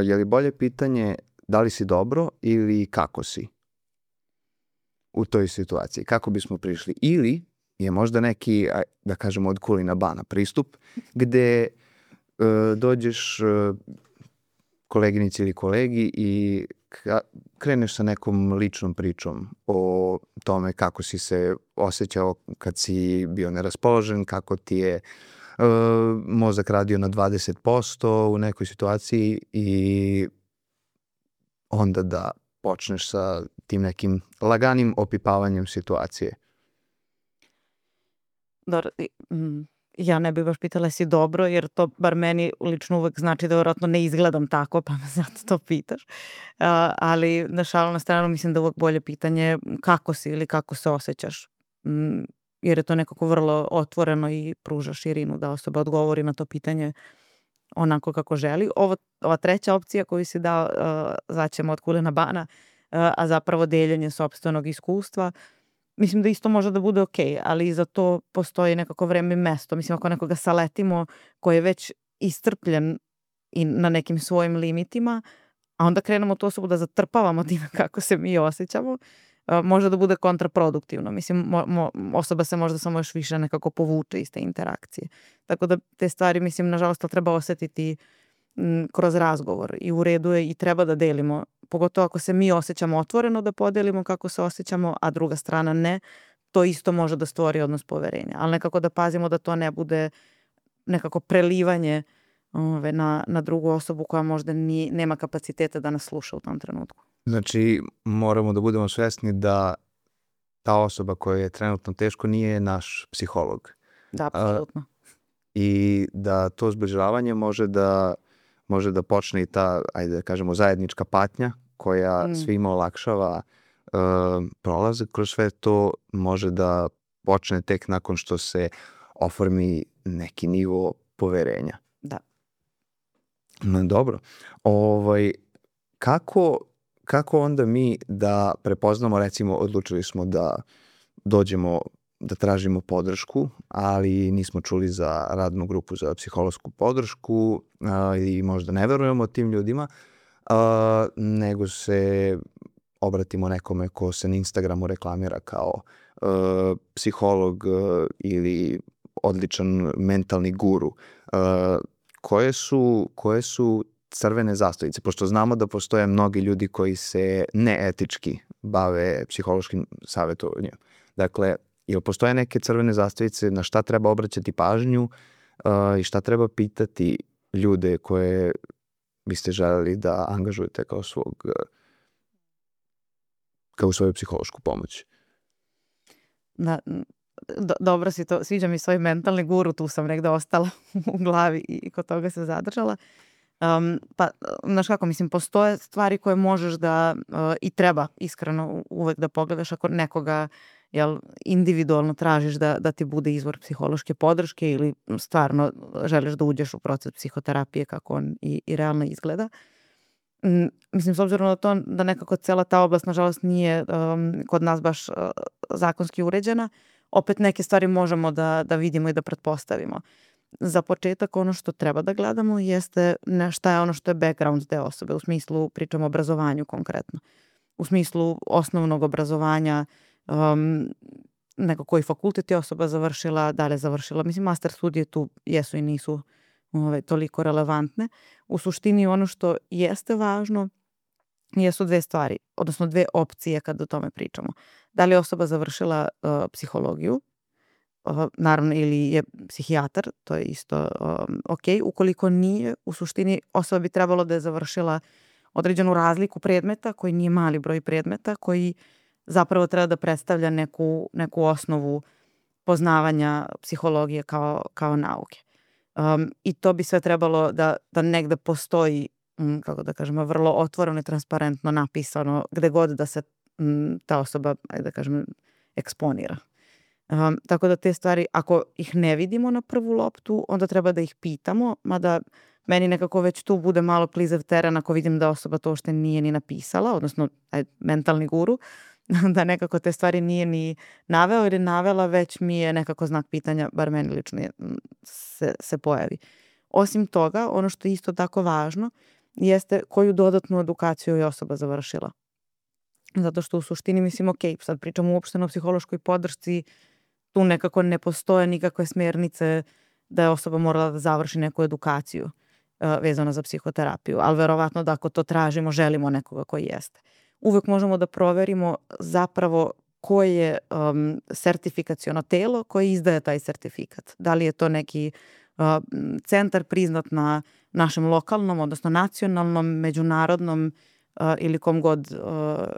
Je li bolje pitanje da li si dobro ili kako si u toj situaciji, kako bismo prišli. Ili je možda neki, da kažemo, od kulina bana pristup, gde dođeš koleginici ili kolegi i kreneš sa nekom ličnom pričom o tome kako si se osjećao kad si bio neraspoložen, kako ti je mozak radio na 20% u nekoj situaciji i onda da počneš sa tim nekim laganim opipavanjem situacije. Dobro, ja ne bih baš pitala si dobro, jer to bar meni lično uvek znači da vjerojatno ne izgledam tako, pa me zato to pitaš. Ali na šalu na stranu mislim da uvek bolje pitanje kako si ili kako se osjećaš. Jer je to nekako vrlo otvoreno i pruža širinu da osoba odgovori na to pitanje onako kako želi. Ova treća opcija koju si dao, zvaćemo od kulina bana, a zapravo deljenje sopstvenog iskustva, mislim da isto može da bude okej, ali i za to postoji nekako vreme i mesto. Mislim, ako nekoga saletimo koji je već iscrpljen i na nekim svojim limitima, a onda krenemo tu osobu da zatrpavamo time kako se mi osjećamo, može da bude kontraproduktivno. Mislim, osoba se možda samo još više nekako povuče iz te interakcije. Tako da te stvari, mislim, nažalost, treba osetiti kroz razgovor i u redu je i treba da delimo, pogotovo ako se mi osjećamo otvoreno da podelimo kako se osjećamo, a druga strana ne, to isto može da stvori odnos poverenja, ali nekako da pazimo da to ne bude nekako prelivanje na drugu osobu koja možda nema kapaciteta da nas sluša u tom trenutku. Znači, moramo da budemo svesni da ta osoba koja je trenutno teško nije naš psiholog. Da, apsolutno. I da to zbližavanje može da počne i ta, ajde da kažemo, zajednička patnja koja svima olakšava prolazak kroz sve to, može da počne tek nakon što se oformi neki nivo poverenja. Da. Dobro. Kako onda mi da prepoznamo, recimo, odlučili smo da dođemo da tražimo podršku, ali nismo čuli za radnu grupu za psihološku podršku i možda ne verujemo tim ljudima, nego se obratimo nekome ko se na Instagramu reklamira kao psiholog ili odličan mentalni guru. Koje su crvene zastavice? Pošto znamo da postoje mnogi ljudi koji se neetički bave psihološkim savjetovanjem. Dakle, jel postoje neke crvene zastavice na šta treba obraćati pažnju i šta treba pitati ljude koje biste želeli da angažujete kao svoju psihološku pomoć? Da, dobro si to, sviđa mi svoj mentalni guru, tu sam negde ostala u glavi i kod toga se zadržala. Pa, znaš kako, mislim, postoje stvari koje možeš da i treba iskreno uvek da pogledaš ako nekoga individualno tražiš da ti bude izvor psihološke podrške ili stvarno želiš da uđeš u proces psihoterapije kako on i realno izgleda. Mislim, s obzirom na to da nekako cela ta oblast, nažalost, nije kod nas baš zakonski uređena, opet neke stvari možemo da vidimo i da pretpostavimo. Za početak ono što treba da gledamo jeste šta je ono što je background te osobe, u smislu pričamo o obrazovanju konkretno. U smislu osnovnog obrazovanja, neko koji fakultet je osoba završila, da li je završila. Mislim, master studije tu jesu i nisu toliko relevantne. U suštini ono što jeste važno jesu dve stvari, odnosno dve opcije kada o tome pričamo. Da li je osoba završila psihologiju, naravno, ili je psihijatar, to je isto ok. Ukoliko nije, u suštini osoba bi trebalo da je završila određenu razliku predmeta, koji nije mali broj predmeta, koji zapravo treba da predstavlja neku osnovu poznavanja psihologije kao nauke. I to bi sve trebalo da negde postoji, kako da kažemo, vrlo otvoreno i transparentno napisano gde god da se ta osoba, ajde da kažem, eksponira. Tako da te stvari, ako ih ne vidimo na prvu loptu, onda treba da ih pitamo, mada meni nekako već tu bude malo klizav teren ako vidim da osoba to uopšte nije ni napisala, odnosno mentalni guru, da nekako te stvari nije ni naveo ili navela, već mi je nekako znak pitanja, bar meni lično se pojavi. Osim toga, ono što je isto tako važno jeste koju dodatnu edukaciju je osoba završila. Zato što u suštini mislim, ok, sad pričamo uopšteno o psihološkoj podršci, tu nekako ne postoje nikakve smjernice da je osoba morala da završi neku edukaciju vezano za psihoterapiju, ali verovatno da ako to tražimo, želimo nekoga koji jeste. Uvek možemo da proverimo zapravo koje je sertifikaciono telo koje izdaje taj sertifikat. Da li je to neki centar priznat na našem lokalnom, odnosno nacionalnom, međunarodnom ili kom god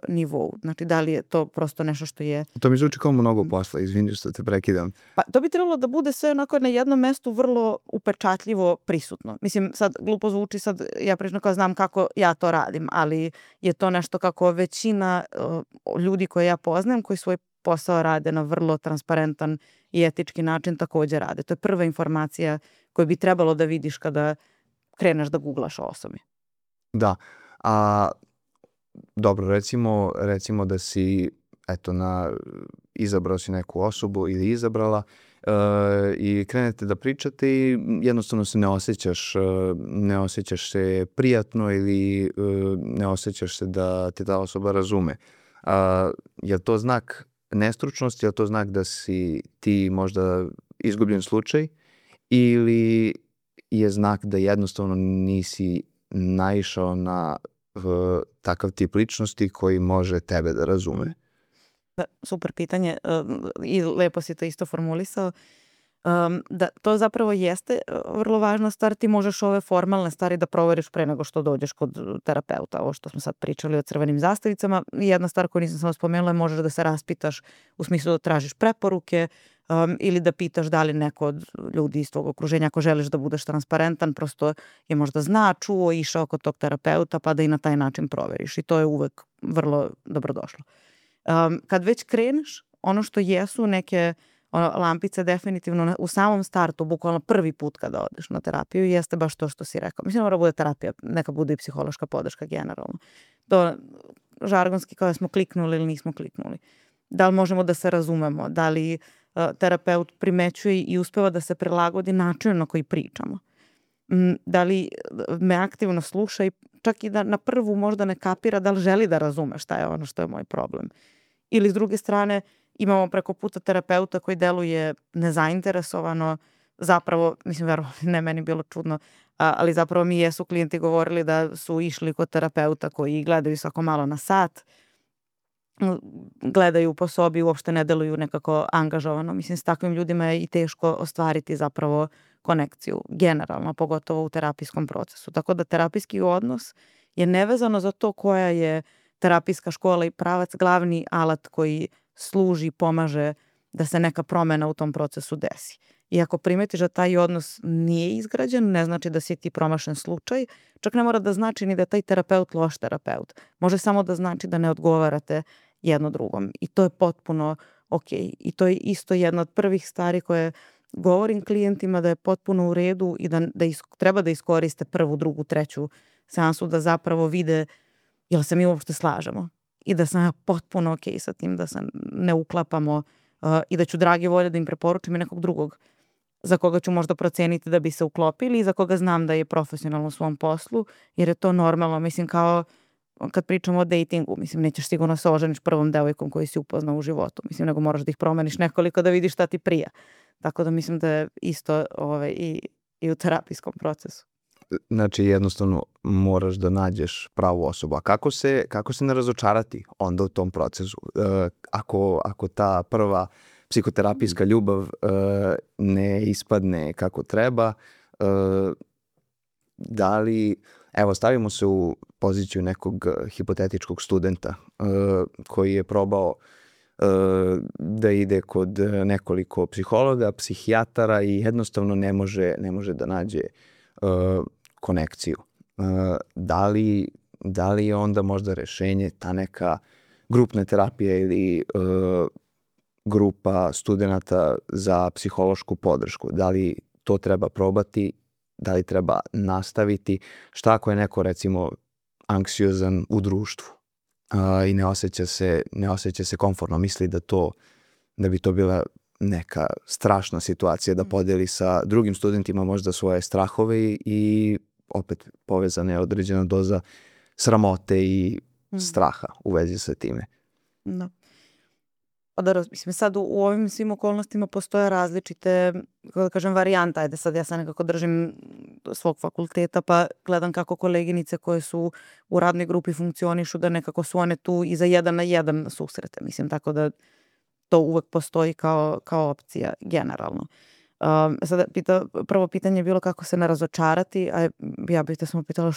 nivou. Znači, da li je to prosto nešto što je... To mi zvuči kao mnogo posla, izvini što te prekidam. Pa to bi trebalo da bude sve onako na jednom mestu vrlo upečatljivo prisutno. Mislim, sad glupo zvuči, sad ja prično kao znam kako ja to radim, ali je to nešto kako većina ljudi koje ja poznajem, koji svoj posao rade na vrlo transparentan i etički način, takođe rade. To je prva informacija koju bi trebalo da vidiš kada kreneš da googlaš o osobi. Da, a dobro, recimo da si izabrao si neku osobu ili izabrala i krenete da pričate i jednostavno se ne osjećaš se prijatno ili ne osjećaš se da te ta osoba razume. Je li to znak nestručnosti, je li to znak da si ti možda izgubljen slučaj ili je znak da jednostavno nisi naišao na takav tip ličnosti koji može tebe da razume? Da, super pitanje i lepo si to isto formulisao. Da to zapravo jeste vrlo važna stvar. Ti možeš ove formalne stvari da proveriš pre nego što dođeš kod terapeuta. Ovo što smo sad pričali o crvenim zastavicama. Jedna stvar koju nisam samo spomenula je možeš da se raspitaš u smislu da tražiš preporuke ili da pitaš da li neko od ljudi iz tvog okruženja, ako želiš da budeš transparentan, prosto je možda čuo, išao kod tog terapeuta pa da i na taj način proveriš. I to je uvek vrlo dobrodošlo. Kad već kreneš, ono što jesu neke lampice definitivno u samom startu, bukvalno prvi put kada odeš na terapiju, jeste baš to što si rekao. Mislim, mora bude terapija, neka bude i psihološka podrška generalno. To žargonski kao da smo kliknuli ili nismo kliknuli. Da li možemo da se razumemo, da li terapeut primećuje i uspeva da se prilagodi načinu na koji pričamo. Da li me aktivno sluša i čak i da na prvu možda ne kapira da li želi da razume šta je ono što je moj problem. Ili s druge strane imamo preko puta terapeuta koji deluje nezainteresovano, zapravo, mislim, verovatno ne meni bilo čudno, ali zapravo mi jesu klijenti govorili da su išli kod terapeuta koji gledaju svako malo na sat, gledaju po sobi, uopšte ne deluju nekako angažovano. Mislim, s takvim ljudima je i teško ostvariti zapravo konekciju, generalno, pogotovo u terapijskom procesu. Tako da terapijski odnos je nevezano za to koja je terapijska škola i pravac glavni alat koji služi, pomaže da se neka promena u tom procesu desi. I ako primetiš da taj odnos nije izgrađen, ne znači da si ti promašen slučaj, čak ne mora da znači ni da je taj terapeut loš terapeut. Može samo da znači da ne odgovarate jedno drugom. I to je potpuno ok. I to je isto jedna od prvih stvari koje govorim klijentima da je potpuno u redu i da treba da iskoriste prvu, drugu, treću seansu da zapravo vide jel se mi uopšte slažemo i da sam potpuno ok sa tim, da se ne uklapamo i da ću drage volje da im preporučim i nekog drugog za koga ću možda proceniti da bi se uklopili i za koga znam da je profesionalno u svom poslu, jer je to normalno. Mislim, kao kad pričamo o datingu, mislim, nećeš sigurno se oženiš prvom devojkom koju si upoznao u životu, mislim, nego moraš da ih promeniš nekoliko da vidiš šta ti prija. Tako da mislim da je isto i u terapijskom procesu. Znači, jednostavno moraš da nađeš pravu osobu. A kako se ne razočarati onda u tom procesu? Ako ta prva psihoterapijska ljubav ne ispadne kako treba, da li, evo, stavimo se u poziciju nekog hipotetičkog studenta koji je probao da ide kod nekoliko psihologa, psihijatara i jednostavno ne može da nađe konekciju. Da li je onda možda rešenje ta neka grupna terapija ili grupa studenata za psihološku podršku? Da li to treba probati? Da li treba nastaviti? Šta ako je neko, recimo, anksiozan u društvu i ne osjeća se komfortno, misli da bi to bila neka strašna situacija da podeli sa drugim studentima možda svoje strahove i opet povezana je određena doza sramote i straha u vezi sa time. Da. Pa da, mislim, sad u ovim svim okolnostima postoje različite, kako da kažem, varijanta. Ajde sad ja sad nekako držim svog fakulteta pa gledam kako koleginice koje su u radnoj grupi funkcionišu, da nekako su one tu i za 1 na 1 susrete. Mislim, tako da to uvek postoji kao opcija generalno. Sada prvo pitanje je bilo kako se ne razočarati, a ja bih te samo pitala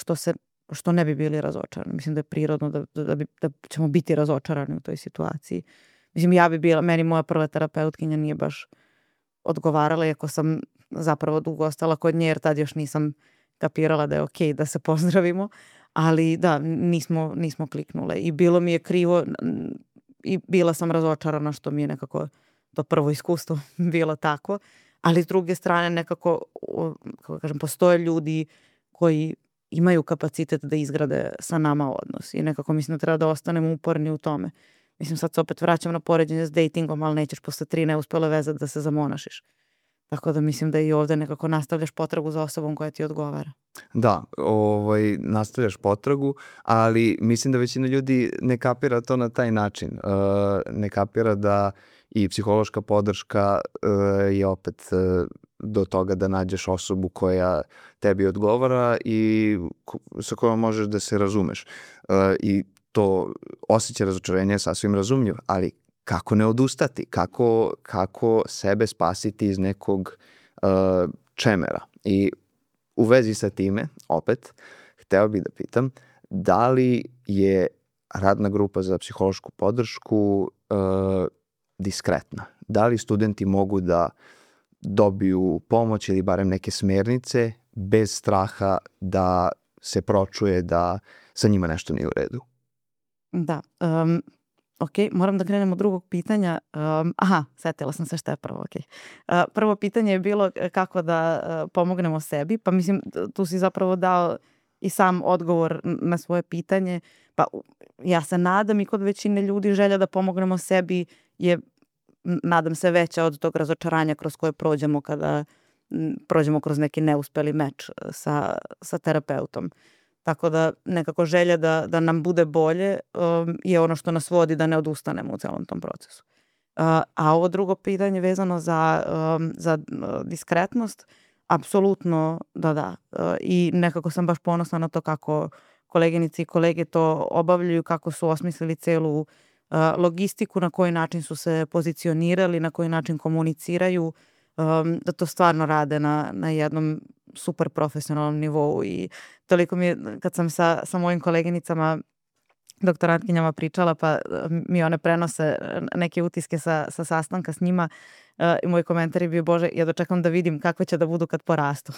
što ne bi bili razočarani. Mislim da je prirodno da ćemo biti razočarani u toj situaciji. Mislim, ja bi bila, meni moja prva terapeutkinja nije baš odgovarala, iako sam zapravo dugo ostala kod nje, jer tad još nisam kapirala da je okej da se pozdravimo, ali da, nismo kliknule i bilo mi je krivo i bila sam razočarana što mi je nekako to prvo iskustvo bilo tako, ali s druge strane nekako, kako kažem, postoje ljudi koji imaju kapacitet da izgrade sa nama odnos i nekako mislim da treba da ostanemo uporni u tome. Mislim, sad se opet vraćam na poređenje s datingom, ali nećeš posle 3 neuspele veze da se zamonašiš. Tako da mislim da i ovde nekako nastavljaš potragu za osobom koja ti odgovara. Da, nastavljaš potragu, ali mislim da većina ljudi ne kapira to na taj način. Ne kapira da i psihološka podrška je opet do toga da nađeš osobu koja tebi odgovara i sa kojom možeš da se razumeš. I to osjećaj razočarenja je sasvim razumljiv, ali kako ne odustati, kako sebe spasiti iz nekog čemera. I u vezi sa time, opet, hteo bih da pitam, da li je radna grupa za psihološku podršku diskretna? Da li studenti mogu da dobiju pomoć ili barem neke smernice bez straha da se pročuje da sa njima nešto nije u redu? Da, ok, moram da krenem od drugog pitanja. Setila sam se šta je prvo, ok. Prvo pitanje je bilo kako da pomognemo sebi, pa mislim tu si zapravo dao i sam odgovor na svoje pitanje. Pa ja se nadam i kod većine ljudi želja da pomognemo sebi je, nadam se, veća od tog razočaranja kroz koje prođemo kada prođemo kroz neki neuspeli meč sa terapeutom. Tako da nekako želja da nam bude bolje je ono što nas vodi da ne odustanemo u celom tom procesu. A ovo drugo pitanje vezano za diskretnost, apsolutno da. I nekako sam baš ponosna na to kako koleginice i kolege to obavljaju, kako su osmislili celu logistiku, na koji način su se pozicionirali, na koji način komuniciraju, da to stvarno rade na jednom super profesionalnom nivou i toliko mi je, kad sam sa mojim koleginicama doktorantkinjama pričala, pa mi one prenose neke utiske sa sastanka s njima i moj komentar je bio, Bože, ja dočekam da vidim kakve će da budu kad porastu.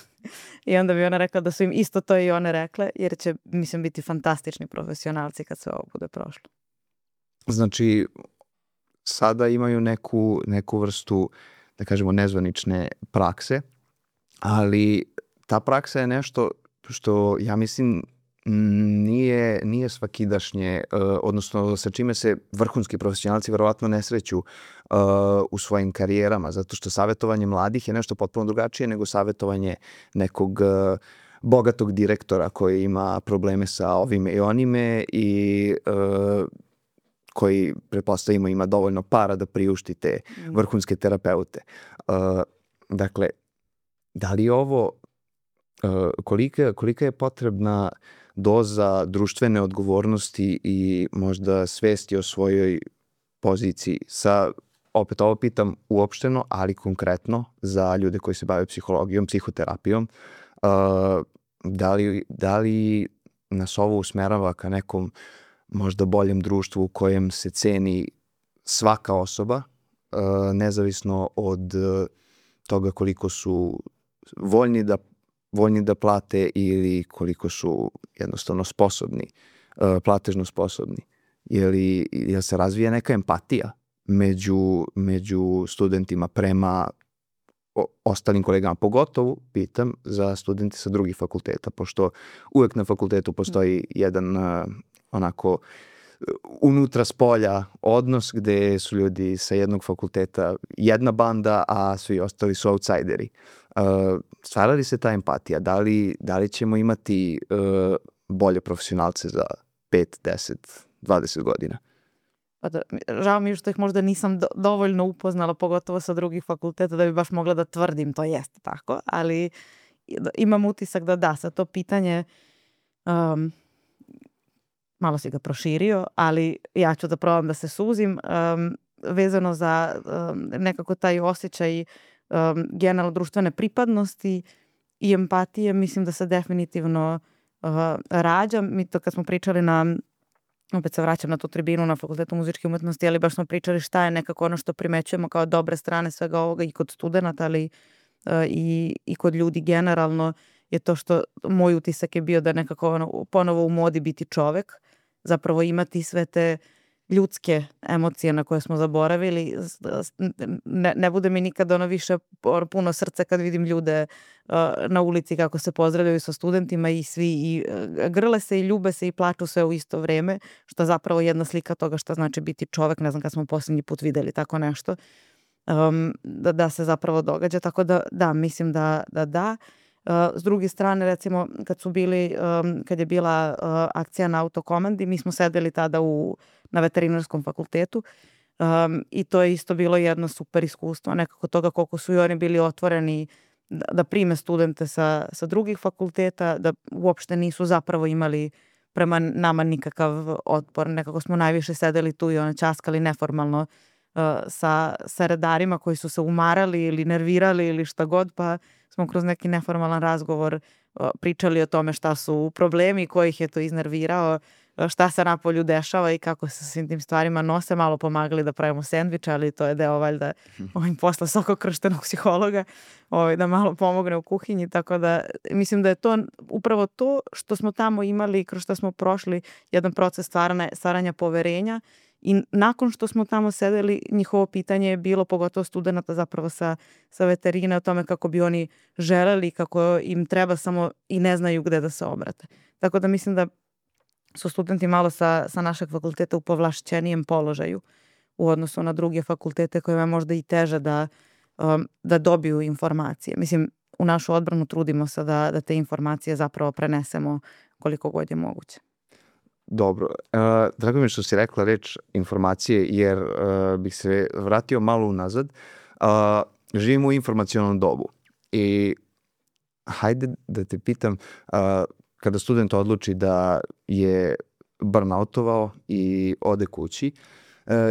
I onda bi ona rekla da su im isto to i one rekle, jer će, mislim, biti fantastični profesionalci kad sve ovo bude prošlo. Znači, sada imaju neku vrstu, da kažemo, nezvanične prakse, ali ta praksa je nešto što, ja mislim, nije svakidašnje, odnosno sa čime se vrhunski profesionalci verovatno ne sreću u svojim karijerama, zato što savjetovanje mladih je nešto potpuno drugačije nego savjetovanje nekog bogatog direktora koji ima probleme sa ovime i onime i koji, pretpostavimo, ima dovoljno para da priušti te vrhunske terapeute. Dakle, da li ovo, kolika je potrebna doza društvene odgovornosti i možda svesti o svojoj poziciji opet ovo pitam uopšteno, ali konkretno za ljude koji se bave psihologijom, psihoterapijom, da li nas ovo usmerava ka nekom možda boljem društvu u kojem se ceni svaka osoba, nezavisno od toga koliko su voljni da plate ili koliko su jednostavno sposobni, platežno sposobni. Jel se razvija neka empatija među studentima prema ostalim kolegama, pogotovo pitam za studente sa drugih fakulteta, pošto uvek na fakultetu postoji jedan onako unutra spolja odnos gde su ljudi sa jednog fakulteta jedna banda, a svi ostali su outsideri. Stvara li se ta empatija? Da li ćemo imati bolje profesionalce za 5, 10, 20 godina? Pa da, žao mi je što ih možda nisam dovoljno upoznala, pogotovo sa drugih fakulteta, da bi baš mogla da tvrdim to jeste tako, ali imam utisak da sa to pitanje malo si ga proširio, ali ja ću da probam da se suzim, vezano za nekako taj osjećaj generalno društvene pripadnosti i empatije, mislim da se definitivno rađa. Mi to kad smo pričali opet se vraćam na tu tribinu na Fakultetu muzičke umetnosti, ali baš smo pričali šta je nekako ono što primećujemo kao dobre strane svega ovoga i kod studenta, ali i kod ljudi generalno, je to što moj utisak je bio da nekako ponovo u modi biti čovek, zapravo imati sve te ljudske emocije na koje smo zaboravili. Ne bude mi nikad više puno srce kad vidim ljude na ulici kako se pozdravljaju sa studentima i svi grle se i ljube se i plaču sve u isto vreme, što zapravo jedna slika toga šta znači biti čovek. Ne znam kad smo posljednji put videli tako nešto, da se zapravo događa, tako da mislim da. S druge strane, recimo, kad je bila akcija na autokomandi, mi smo sedeli tada na veterinarskom fakultetu i to je isto bilo jedno super iskustvo, nekako toga koliko su i oni bili otvoreni da prime studente sa drugih fakulteta, da uopšte nisu zapravo imali prema nama nikakav otpor. Nekako smo najviše sedeli tu i ćaskali neformalno sa redarima koji su se umarali ili nervirali ili šta god, pa smo kroz neki neformalan razgovor pričali o tome šta su problemi, koji ih je to iznervirao, šta se napolju dešava i kako se svim tim stvarima nose, malo pomagali da pravimo sendviče, ali to je deo valjda posla sokokrštenog psihologa, da malo pomogne u kuhinji, tako da mislim da je to upravo to što smo tamo imali, kroz što smo prošli jedan proces stvaranja poverenja. I nakon što smo tamo sedeli, njihovo pitanje je bilo, pogotovo studenta zapravo sa veterine, o tome kako bi oni želeli, kako im treba samo i ne znaju gde da se obrate. Tako da mislim da su studenti malo sa našeg fakulteta u povlašćenijem položaju u odnosu na druge fakultete kojima je možda i teže da dobiju informacije. Mislim, u našu odbranu trudimo se da te informacije zapravo prenesemo koliko god je moguće. Dobro. Drago mi je što si rekla reč informacije, jer bih se vratio malo unazad. Živimo u informacionom dobu i hajde da te pitam, kada student odluči da je burnoutovao i ode kući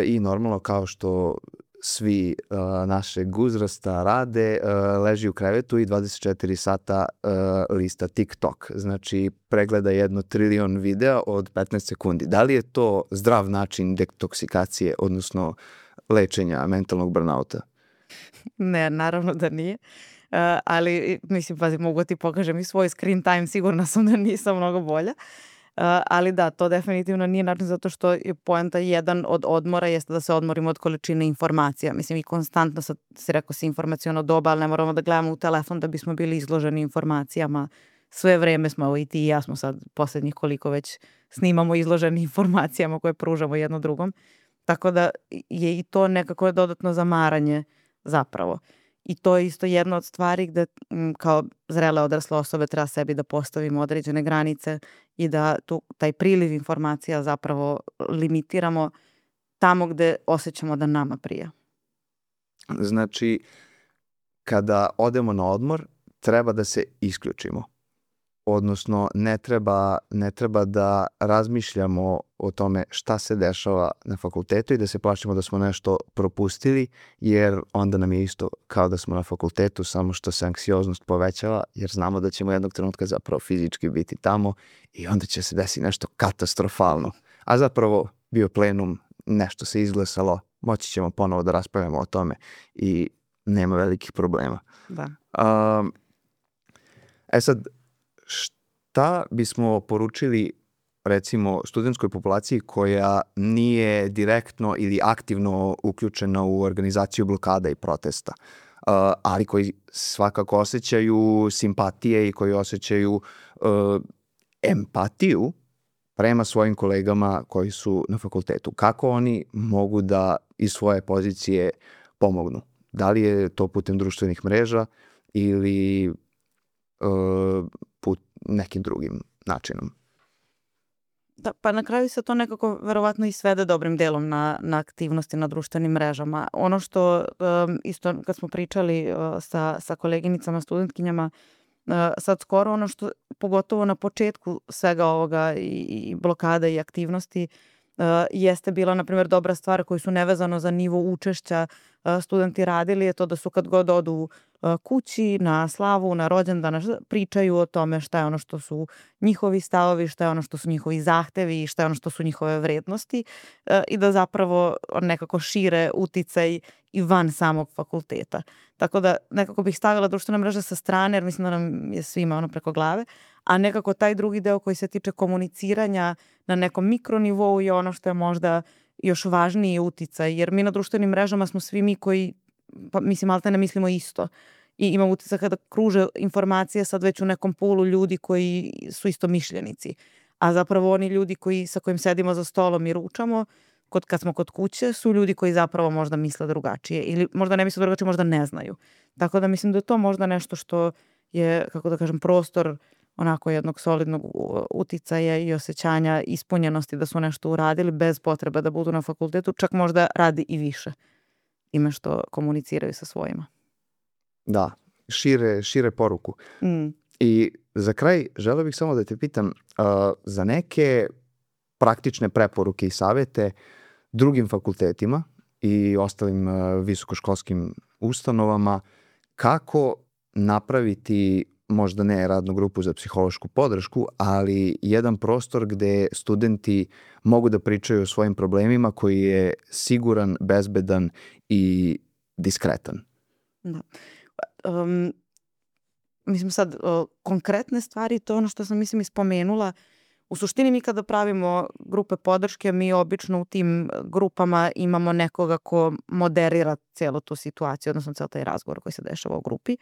i normalno kao što svi našeg uzrasta rade, leži u krevetu i 24 sata lista TikTok. Znači, pregleda 1 trilion videa od 15 sekundi. Da li je to zdrav način detoksikacije, odnosno lečenja mentalnog burnouta? Ne, naravno da nije. Ali, mislim, pazi, mogu ti pokažem i svoj screen time, sigurna sam da nisam mnogo bolja. Ali da, to definitivno nije način, zato što je poenta jedan od odmora jeste da se odmorimo od količine informacija. Mislim, i konstantno si rekao si informaciono doba, ali ne moramo da gledamo u telefon da bismo bili izloženi informacijama. Sve vreme smo, i ti i ja smo sad posljednjih koliko već snimamo izloženi informacijama koje pružamo jedno drugom. Tako da je i to nekako dodatno zamaranje zapravo. I to je isto jedna od stvari gde kao zrele odrasle osobe treba sebi da postavimo određene granice i da taj priliv informacija zapravo limitiramo tamo gde osjećamo da nama prija. Znači, kada odemo na odmor, treba da se isključimo. Odnosno, ne treba da razmišljamo o tome šta se dešava na fakultetu i da se plašimo da smo nešto propustili, jer onda nam je isto kao da smo na fakultetu, samo što se anksioznost povećava, jer znamo da ćemo jednog trenutka zapravo fizički biti tamo i onda će se desiti nešto katastrofalno. A zapravo bio plenum, nešto se izglasalo, moći ćemo ponovo da raspravljamo o tome i nema velikih problema. Da. Sad, šta bismo poručili recimo studentskoj populaciji koja nije direktno ili aktivno uključena u organizaciju blokada i protesta, ali koji svakako osjećaju simpatije i koji osjećaju empatiju prema svojim kolegama koji su na fakultetu? Kako oni mogu da iz svoje pozicije pomognu? Da li je to putem društvenih mreža ili nekim drugim načinom? Da, pa na kraju se to nekako verovatno i svede dobrim delom na aktivnosti na društvenim mrežama. Ono što isto kad smo pričali sa koleginicama, studentkinjama, sad skoro ono što, pogotovo na početku svega ovoga i blokada i aktivnosti, jeste bila, na primjer, dobra stvar koju su nevezano za nivo učešća studenti radili, je to da su kad god odu kući, na slavu, na rođendan, pričaju o tome šta je ono što su njihovi stavovi, šta je ono što su njihovi zahtevi i šta je ono što su njihove vrednosti i da zapravo nekako šire uticaj i van samog fakulteta. Tako da nekako bih stavila društvene mreže sa strane, jer mislim da nam je svima ono preko glave, a nekako taj drugi deo koji se tiče komuniciranja na nekom mikronivou je ono što je možda još važniji uticaj, jer mi na društvenim mrežama smo svi mi koji, pa mislim, malte ne mislimo isto. I imamo uticaj kada kruže informacije sad već u nekom pulu ljudi koji su isto mišljenici. A zapravo oni ljudi sa kojim sedimo za stolom i ručamo, kad smo kod kuće, su ljudi koji zapravo možda misle drugačije. Ili možda ne misle drugačije, možda ne znaju. Tako da mislim da je to možda nešto što je, kako da kažem, prostor onako jednog solidnog uticaja i osjećanja ispunjenosti da su nešto uradili bez potrebe da budu na fakultetu, čak možda radi i više time što komuniciraju sa svojima. Da, šire poruku. I za kraj želeo bih samo da te pitam za neke praktične preporuke i savete drugim fakultetima i ostalim visokoškolskim ustanovama kako napraviti možda ne radnu grupu za psihološku podršku, ali jedan prostor gde studenti mogu da pričaju o svojim problemima koji je siguran, bezbedan i diskretan. Da. Mislim sad, konkretne stvari, to je ono što sam mislim ispomenula. U suštini mi kada pravimo grupe podrške, mi obično u tim grupama imamo nekoga ko moderira cijelu tu situaciju, odnosno cijel taj razgovor koji se dešava u grupi.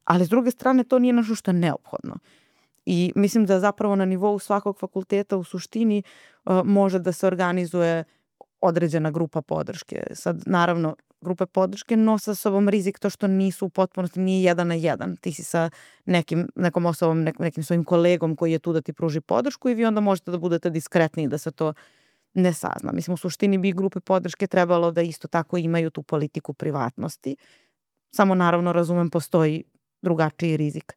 Ali s druge strane to nije nešto što je neophodno. I mislim da zapravo na nivou svakog fakulteta u suštini može da se organizuje određena grupa podrške. Sad, naravno, grupe podrške nose sa sobom rizik to što nisu u potpunosti, nije 1 na 1. Ti si sa nekom osobom, nekim svojim kolegom koji je tu da ti pruži podršku i vi onda možete da budete diskretni da se to ne sazna. Mislim, u suštini bi grupe podrške trebalo da isto tako imaju tu politiku privatnosti. Samo naravno razumem, postoji drugačiji rizik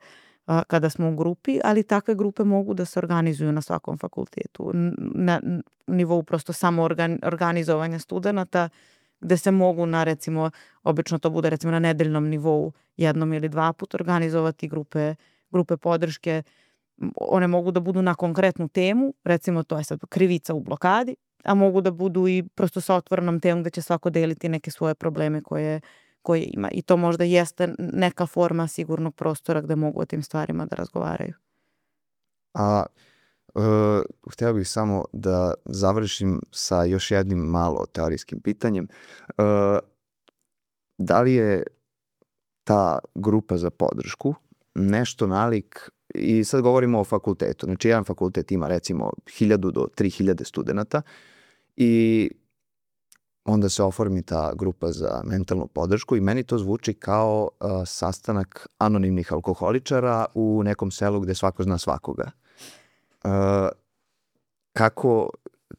kada smo u grupi, ali takve grupe mogu da se organizuju na svakom fakultetu. Na nivou prosto samo organizovanja studenata, gde se mogu na, recimo, obično to bude recimo na nedeljnom nivou 1 ili 2 puta organizovati grupe podrške. One mogu da budu na konkretnu temu, recimo to je sad krivica u blokadi, a mogu da budu i prosto sa otvorenom temom gde će svako deliti neke svoje probleme koje ima. I to možda jeste neka forma sigurnog prostora gde mogu o tim stvarima da razgovaraju. Hteo bih samo da završim sa još jednim malo teorijskim pitanjem. Da li je ta grupa za podršku nešto nalik, i sad govorimo o fakultetu, znači jedan fakultet ima recimo 1000 do 3000 studenta i onda se oformi ta grupa za mentalnu podršku i meni to zvuči kao sastanak anonimnih alkoholičara u nekom selu gde svako zna svakoga.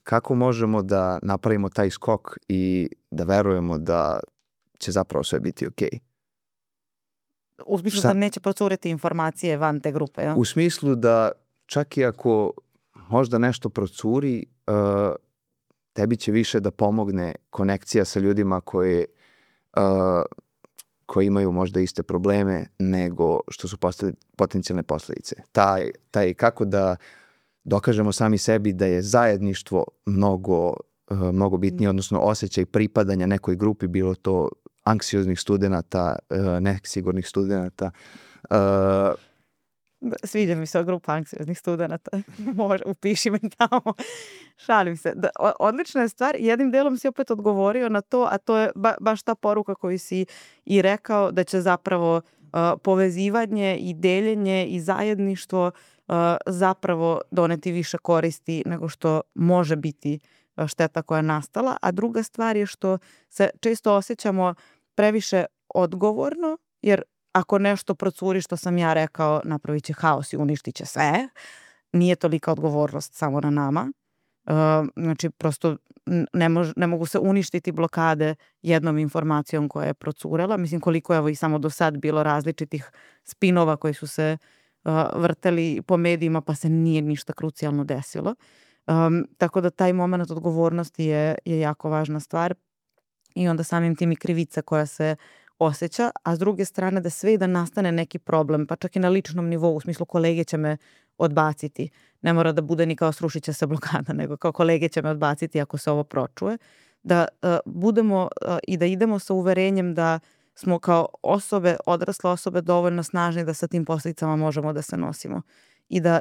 Kako možemo da napravimo taj skok i da verujemo da će zapravo sve biti okej? U smislu da neće procuriti informacije van te grupe, ja? U smislu da čak i ako možda nešto procuri, tebi će više da pomogne konekcija sa ljudima koji imaju možda iste probleme nego što su potencijalne posledice. Taj kako da dokažemo sami sebi da je zajedništvo mnogo bitnije, odnosno osjećaj pripadanja nekoj grupi, bilo to anksioznih studenata, nesigurnih studenata. Sviđa mi se grupa anksioznih studenata. Upiši me tamo. Šalim se. Odlična je stvar. Jednim delom si opet odgovorio na to, a to je baš ta poruka koju si i rekao, da će zapravo povezivanje i deljenje i zajedništvo zapravo doneti više koristi nego što može biti šteta koja je nastala. A druga stvar je što se često osjećamo previše odgovorno, jer ako nešto procuri što sam ja rekao, napravit će haos i uništit će sve. Nije tolika odgovornost samo na nama. Znači, prosto ne mogu se uništiti blokade jednom informacijom koja je procurela. Mislim, koliko je i samo do sad bilo različitih spinova koji su se vrteli po medijima, pa se nije ništa krucijalno desilo. Tako da taj moment odgovornosti je jako važna stvar i onda samim tim i krivica koja se osjeća, a s druge strane da sve i da nastane neki problem, pa čak i na ličnom nivou, u smislu kolege će me odbaciti. Ne mora da bude ni kao srušit će se blokada, nego kao kolege će me odbaciti ako se ovo pročuje. Da budemo i da idemo sa uverenjem da smo kao osobe, odrasle osobe dovoljno snažni da sa tim posljedicama možemo da se nosimo. I da,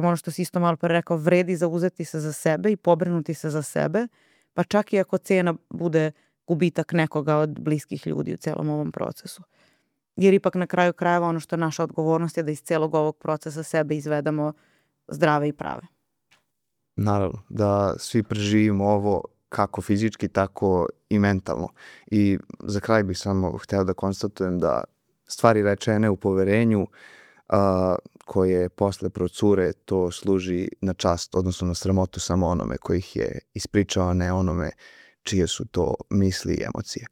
ono što si isto malo pre rekao, vredi zauzeti se za sebe i pobrinuti se za sebe, pa čak i ako cena bude gubitak nekoga od bliskih ljudi u celom ovom procesu. Jer ipak na kraju krajeva ono što je naša odgovornost je da iz celog ovog procesa sebe izvedemo zdrave i prave. Naravno, da svi preživimo ovo kako fizički, tako i mentalno. I za kraj bih samo hteo da konstatujem da stvari rečene u poverenju koje posle procure, to služi na čast, odnosno na sramotu samo onome koji ih je ispričao, a ne onome čije su to misli i emocije.